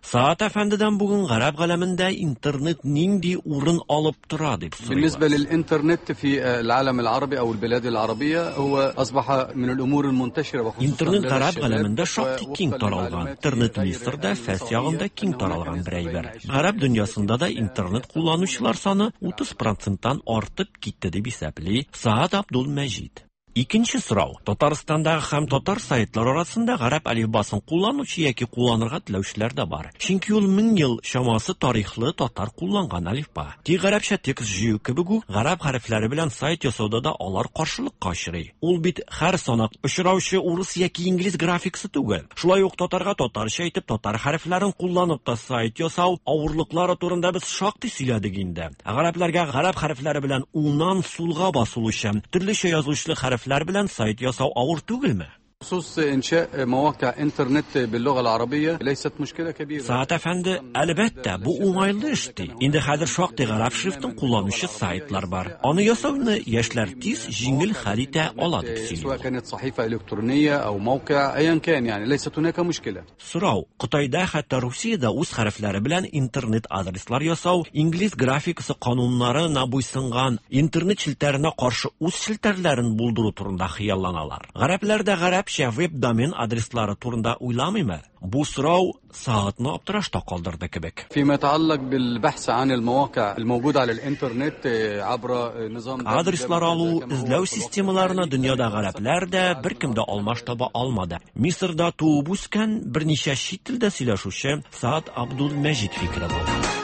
Speaker 25: Саад әфәндедән бүген гарәп галәмендә интернет нинди урын алып тора дип сорыйлар.
Speaker 26: بالنسبة للإنترنت في العالم العربي أو البلاد العربية هو أصبح من الأمور المنتشرة وخصوصا
Speaker 25: Интернет гарәп галәмендә шактый киң таралган. Интернет Мисырда, Фәс ягында киң таралган бер әйбер. Гарәп дөньясында да интернет кулланучылар саны утыз проценттан артып китте дип исәпли Саад Абдул-Мәҗид. Икенче сорау. Татарстандагы һәм татар сайтлары арасында гарәп әлифбасын кулланучы яки кулланырга теләүчеләр дә бар. Чөнки ул мең ел чамасы тарихлы татар кулланган әлифба. Тик гарәпчә текст җыю кебек үк гарәп хәрефләре белән сайт ясауда да алар каршылыкка очрый. Ул бит һәр санак очраучы урыс яки инглиз графикасы түгел. Шулай ук татарга татарча итеп татар хәрефләрен кулланып та сайт ясау авырлыклары турында без шактый сөйләдек инде. Гарәпләргә гарәп хәрефләре белән уңнан сулга басылучы, төрлечә язылышлы хәреф белән сайт ясау авыр түгелме?
Speaker 26: بخصوص إنشاء مواقع إنترنت باللغة العربية ليست مشكلة كبيرة.
Speaker 25: Саат әфәнде, әлбәттә, бу уңайлы эш ди. Инде хәзер шактый гарәп шрифтын кулланучы сайтлар бар. Аны ясауны яшьләр тиз, җиңел хәл итә ала дип сөйли.
Speaker 26: سواء كانت صحيفة إلكترونية أو موقع أيا كان يعني ليست هناك مشكلة.
Speaker 25: Сорау: Кытайда, хәтта Русиядә үз хәрефләре белән интернет адреслар ясау, инглиз графикасы кануннарына буйсынган интернет челтәренә каршы үз челтәрләрен булдыру турында хыялланалар. Гарәпләр дә гарәп веб-домен адреслары турында уйламыймы? Бу сорау Саатны аптырашта калдырды кебек.
Speaker 26: فيما يتعلق بالبحث عن المواقع الموجودة على الإنترنت عبر نظام
Speaker 25: Адреслар алу, эзләү системаларына дөньяда гарәпләр дә беркем дә алмаш таба алмады. Мисырда туып үскән, берничә чит телдә сөйләшүче Саат Абдул-Мәҗид фикере бу.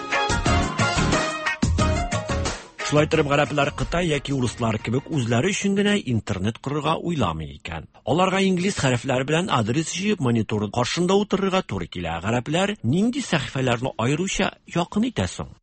Speaker 25: Шулай торып, гарәпләр Кытай яки урыслар кебек үзләре өчен генә интернет корырга уйламый икән. Аларга инглиз хәрефләре белән адрес җыеп монитор каршында утырырга туры килә. Гарәпләр нинди сәхифәләрне аеруча якын итә соң?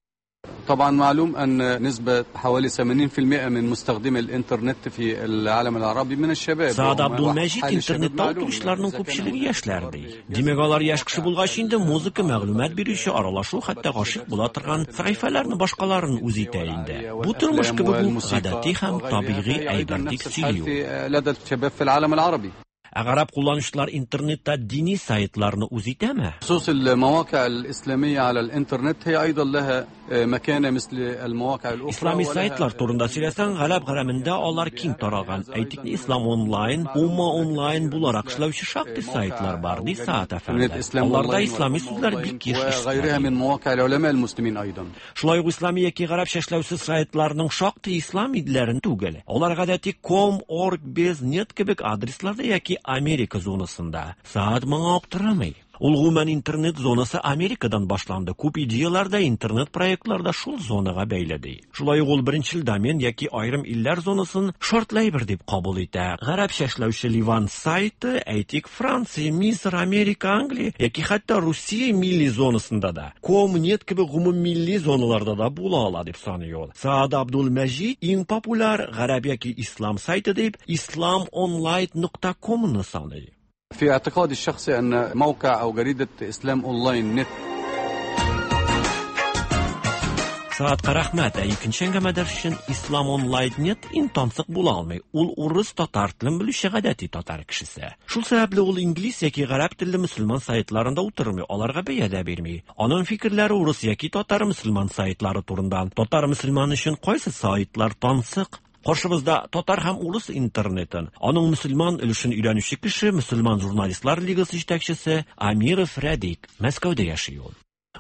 Speaker 26: طبعا معلوم أن نسبة حوالي ثمانين في المئة من مستخدمي الإنترنت في العالم العربي من الشباب.
Speaker 25: Саат Абдул-Мәҗид интернетта утыручыларның күпчелеге яшьләр ди. Димәк, алар яшь кеше булгач инде музыка, мәгълүмат бирүче, аралашу, хәтта гашыйк була торган сәхифәләрне башкаларын үз итә инде. Бу тормыш кебек үк гадәти һәм табигый әйбер дип сөйли ул.
Speaker 26: لدى الشباب في العالم العربي.
Speaker 25: Ә гарәп кулланучылар интернетта дини сайтларны үз итәме?
Speaker 26: خصوص المواقع الإسلامية على الإنترنت هي أيضا لها مكانة مثل المواقع الأخرى.
Speaker 25: Ислами сайтлар турында сөйләсәң, гарәп галәмендә алар киң таралган. Әйтик, Ислам онлайн, Умма онлайн буларак эшләүче шактый сайтлар бар, ди Саат әфәнде. Аларда ислами сүзләр бик еш
Speaker 26: وغيرها
Speaker 25: ишетелә.
Speaker 26: من مواقع العلماء المسلمين أيضا.
Speaker 25: Шулай ук ислами яки гарәпчә эшләүче сайтларның шактый ислам идләрен түгел. Алар гадәти ком, орг, без, нет кебек адресларда яки Америка зонасында. Саат моңа аптырамый. Ул гомумән интернет зонасы Америкадан башланды. Күп идеялар да, интернет проектлар да шул зонага бәйле ди. Шулай ук ул беренчел домен яки аерым илләр зонасын шартлы әйбер дип кабул итә. Гарәпчә эшләүче Ливан сайты, әйтик, Франция, Мисыр, Америка, Англия яки хәтта Русия милли зонасында да, ком, нет кебек гомуммилли зоналарда да була ала дип саный ул. Саат Абдул-Мәҗид иң популяр гарәп яки ислам сайты дип ислам онлайн нокта комны саный.
Speaker 26: في اعتقادي الشخصي أن موقع أو جريدة إسلام أونلاين نت.
Speaker 25: Саатка рәхмәт. Ә икенче әңгәмәдәш өчен Ислам онлайн нет иң тансык була алмый. Ул урыс татар телен белүче гадәти татар кешесе. Шул сәбәпле ул инглиз яки гарәп телле мөселман сайтларында утырмый, аларга бәя дә бирми. Аның фикерләре урыс яки татар мөселман сайтлары турында. Татар мөселманы өчен кайсы сайтлар тансык? Каршыбызда татар һәм урыс интернетын, аның мөселман өлешен өйрәнүче кеше, мөселман журналистлар лигасы җитәкчесе Амиров Радик, Мәскәүдә яши ул.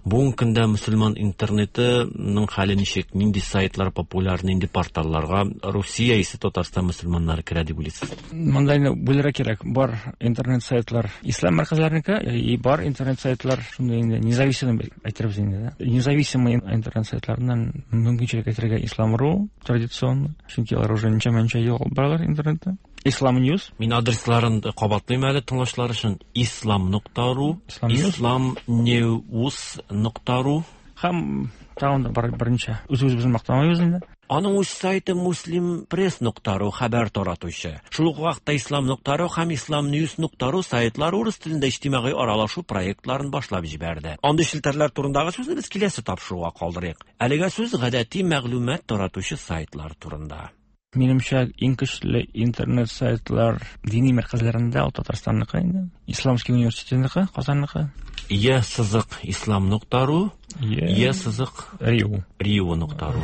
Speaker 25: Бүгенге көндә мөселман интернетының хәле ничек, нинди сайтлар популяр, нинди порталларга Русия исә Татарстан мөселманнары керә дип уйлыйсыз?
Speaker 8: Монда инде бүләргә кирәк. Бар интернет сайтлар ислам мәркәзләренеке, и бар интернет сайтлар шундый инде независимый әйтербез инде, да. Независимый интернет сайтларыннан мөмкинчелек әйтергә Ислам.ру традиционно, чөнки алар уже ничә-ничә ел баралар интернетта. Ислам News.
Speaker 25: Мин адресларын кабатлыйм әле тыңлаучылар өчен. Ислам нокта ру, Ислам News нокта ру.
Speaker 8: Һәм тагын да бар берничә. Үз-үзебезне мактамыйбыз инде.
Speaker 25: Аның үз сайты Муслим Пресс нокта ру хәбәр таратучы. Шул ук вакытта Ислам нокта ру һәм Ислам News нокта ру сайтлары урыс телендә иҗтимагый аралашу проектларын башлап җибәрде. Андый челтәрләр турындагы сүзне без киләсе тапшыруга калдырыйк. Әлегә сүз гадәти мәгълүмат таратучы сайтлар турында.
Speaker 8: Минемчә, иң көчле интернет сайтлар дини мәркәзләрендә ул Татарстанныкы инде. Исламский университетныкы, Казанныкы.
Speaker 25: Е сызык ислам нокта ру, Е сызык
Speaker 8: Риу.
Speaker 25: Риу нокта ру.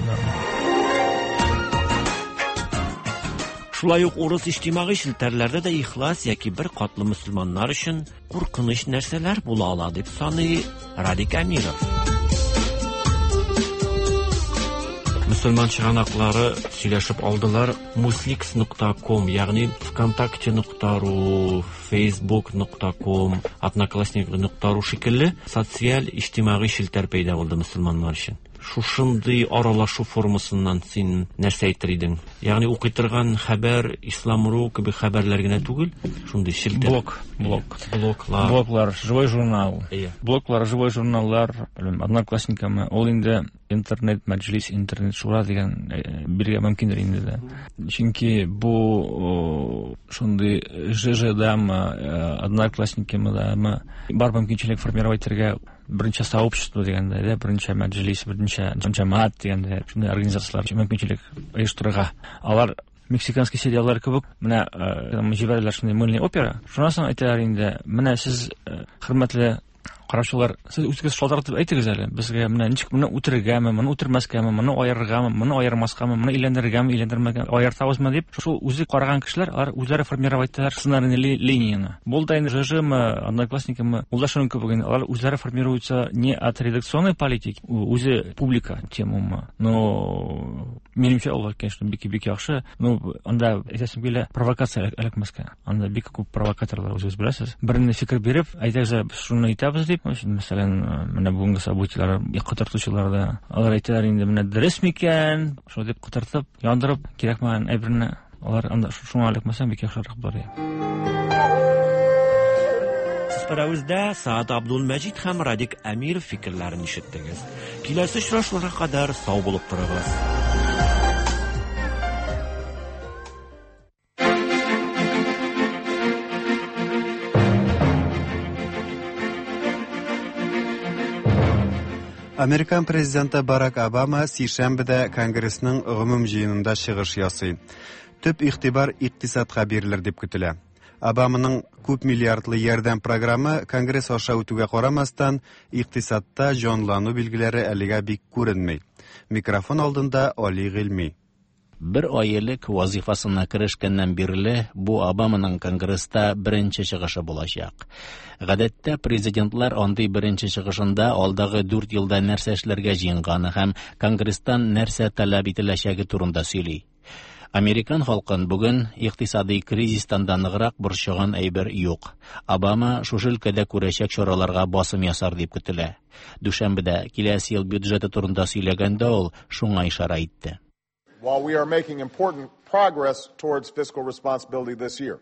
Speaker 25: Шулай ук урыс иҗтимагый челтәрләрдә дә ихлас яки бер катлы мөселманнар өчен куркыныч нәрсәләр була ала дип саный Радик Әмиров. Мөселман чыганаклары сөйләшеп алдылар. Мусликс нокта ком, ягъни ВКонтакте нокта ру, Facebook нокта ком, Одноклассники нокта ру шикелле социаль иҗтимагый челтәр пәйда булды мөселманнар өчен. Шушындый аралашу формасыннан син нәрсә әйтер идең? Ягъни укый торган хәбәр Ислам.ру кебек хәбәрләр генә түгел, шундый челтәр.
Speaker 8: Блог, блог.
Speaker 25: Блоглар.
Speaker 8: Блоглар, живой журнал.
Speaker 25: Иә.
Speaker 8: Блоглар, живой журналлар, белмим, Одноклассникамы, ул инде интернет мәҗлис, интернет шура дигән биргә мөмкиндер инде дә. Чөнки бу шундый ЖЖ-дамы, Одноклассникамы дамы бар мөмкинчелек формировать итәргә берничә сообщество дигәндә, дә, берничә мәҗлис, берничә җәмәгать дигәндә, шундый организацияләр мөмкинчелек оештырырга. Алар мексиканский сериаллар кебек, менә җибәрәләр шундый мыльный опера. Шуннан соң әйтәләр инде, менә сез, хөрмәтле караучылар, сез үзегез шалтыратып әйтегез әле, безгә менә ничек моны үтерергәме, моны үтермәскәме, моны аерыргамы, моны аермаскамы, моны әйләндерергәме, әйләндермәгәме, аертабызмы дип, шул үзе караган кешеләр, алар үзләре формировать итәләр сценарийный линияне. Бу да инде ЖЖ-мы, Одноклассникамы, ул да шуның кебек инде, алар үзләре формируются не от редакционной политики, үзе публика темамы, но минемчә алар, конечно, бик-бик яхшы, но анда әйтәсем килә, провокация эләкмәскә. Анда бик күп провокаторлар, үзегез беләсез. Берне фикер биреп, әйтәгез, без шуны итәбез дип, мәсәлән, менә бүгенге событияләр котыртучылар да, алар әйтәләр инде, менә дөрес микән, шулай дип котыртып, яндырып, кирәкмәгән әйберне алар анда шуңа эләкмәсә бик яхшырак булыр.
Speaker 25: Сез Пәрәвездә Саат Абдулмәҗит һәм Радик Әмиров фикерләрен ишеттегез. Киләсе очрашуларга кадәр сау булып торыгыз.
Speaker 1: Американ президенты Барак Обама сишәмбедә Конгрессның гомум җыенында чыгыш ясый. Төп игътибар икътисадка бирелер дип көтелә. Обаманың күп миллиардлы ярдәм программы Конгресс аша үтүгә карамастан, икътисадта җанлану билгеләре әлегә бик күренми. Микрофон алдында Али Гыйльми.
Speaker 2: Бер ай элек вазифасына керешкәннән бирле бу Обаманың Конгресста беренче чыгышы булачак. Гадәттә президентлар андый беренче чыгышында алдагы дүрт елда нәрсә эшләргә җыенганы һәм Конгресстан нәрсә таләп ителәчәге турында сөйли. Американ халкын бүген икътисади кризистан да ныграк борчыган әйбер юк. Обама шушы өлкәдә күрәчәк чараларга басым ясар дип көтелә. Дүшәмбедә киләсе ел бюджеты турында сөйләгәндә ул шуңа ишарә итте.
Speaker 9: While we are making important progress towards fiscal responsibility this year.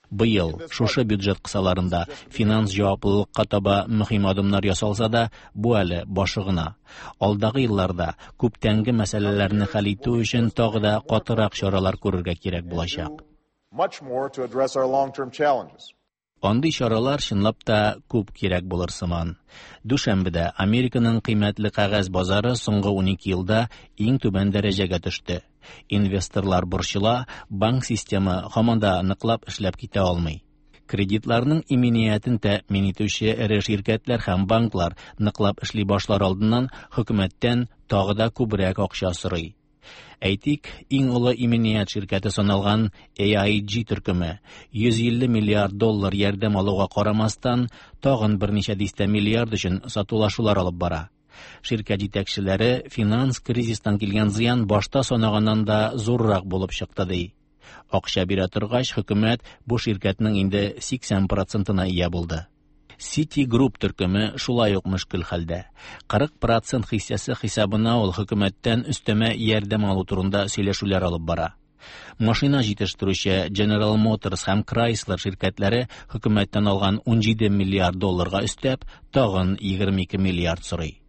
Speaker 2: Быел шушы бюджет кысаларында финанс җаваплылыкка таба мөһим адымнар ясалса да, бу әле башы гына. Алдагы елларда күптәнге мәсьәләләрне хәл итү өчен тагы да катырак чаралар күрергә кирәк булачак.
Speaker 9: Much more to address our long-term challenges.
Speaker 2: Андый чаралар чынлап та күп кирәк булыр сыман. Дүшәмбедә Американың кыйммәтле кәгазь базары соңгы унике елда иң түбән дәрәҗәгә төште. Инвесторлар борчыла, банк системы һаман да ныклап эшләп китә алмый. Кредитларның иминиятен тәэмин итүче эре ширкәтләр һәм банклар ныклап эшли башлар алдыннан хөкүмәттән тагы да күбрәк акча сорый. Әйтик, иң олы иминият ширкәте саналган A I G төркеме йөз илле миллиард доллар ярдәм алуга карамастан, тагын берничә дистә миллиард өчен сатулашулар алып бара. Ширкәт җитәкчеләре финанс кризистан килгән зыян башта санаганнан да зуррак булып чыкты ди. Акча бирә торгач, хөкүмәт бу ширкәтнең инде сиксән процентына ия булды. Citigroup төркеме шулай ук мөшкел хәлдә. Кырык процент хиссәсе хисабына ул хөкүмәттән өстәмә ярдәм алу турында сөйләшүләр алып бара. Машина җитештерүче General Motors һәм Chrysler ширкәтләре хөкүмәттән алган унҗиде миллиард долларга өстәп, тагын егерме ике миллиард сорый.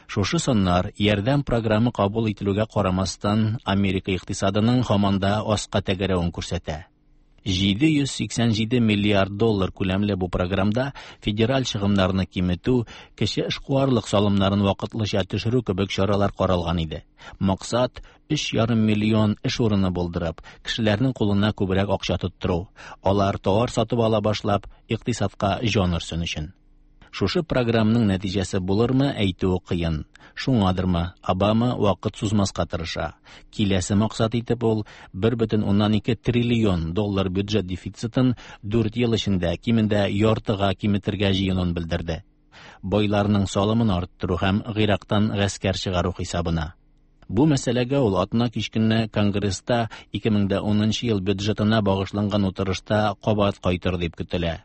Speaker 2: Шушы саннар ярдәм программы кабул ителүгә карамастан, Америка икътисадының һаман да аска тәгәрәвен күрсәтә. Җиде йөз сиксән җиде миллиард доллар күләмле бу программда федераль чыгымнарны киметү, кече эшкуарлык салымнарын вакытлыча төшерү кебек чаралар каралган иде. Максат өч ярым миллион эш урыны булдырып, кешеләрнең кулына күбрәк акча тоттыру, алар товар сатып ала башлап, икътисадка җан өрсен өчен. Шушы программның нәтиҗәсе булырмы, әйтүе кыен. Шуңадырмы, Обама вакыт сузмаска тырыша. Киләсе максат итеп ул бер бөтен уннан ике триллион доллар бюджет дефицитын дүрт ел эчендә кимендә яртыга киметергә җыенын белдерде. Байларның салымын арттыру һәм Гыйрактан гаскәр чыгару хисабына. Бу мәсьәләгә ул атна кич көнне Конгресста ике мең дә унынчы ел бюджетына багышланган утырышта кабат кайтыр дип көтелә.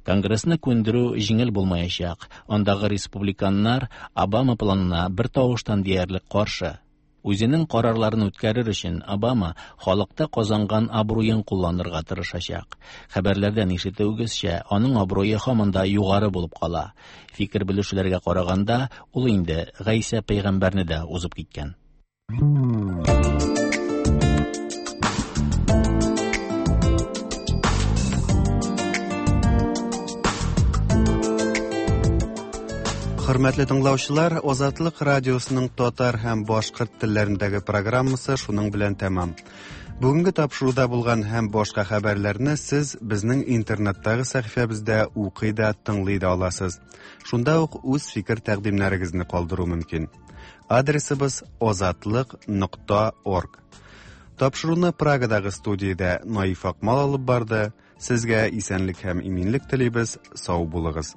Speaker 2: Конгрессны күндерү җиңел булмаячак. Андагы республиканнар Обама планына бер тавыштан диярлек каршы. Үзенең карарларын үткәрер өчен Обама халыкта казанган абруен кулланырга тырышачак. Хәбәрләрдән ишетүегезчә, аның абруе һаман да югары булып кала. Фикер белешүләргә караганда, ул инде Гайсә пәйгамбәрне дә узып киткән.
Speaker 1: Хөрмәтле тыңлаучылар, Азатлык радиосының татар һәм башкорт телләрендәге программасы шуның белән тәмам. Бүгенге тапшыруда булган һәм башка хәбәрләрне сез безнең интернеттагы сәхифәбездә укый да, тыңлый да аласыз. Шунда ук үз фикер тәкъдимнәрегезне калдыру мөмкин. Адресыбыз азатлык нокта орг. Тапшыруны Прагадагы студиядә Наиф Акмал алып барды. Сезгә исәнлек һәм иминлек телибез. Сау булыгыз.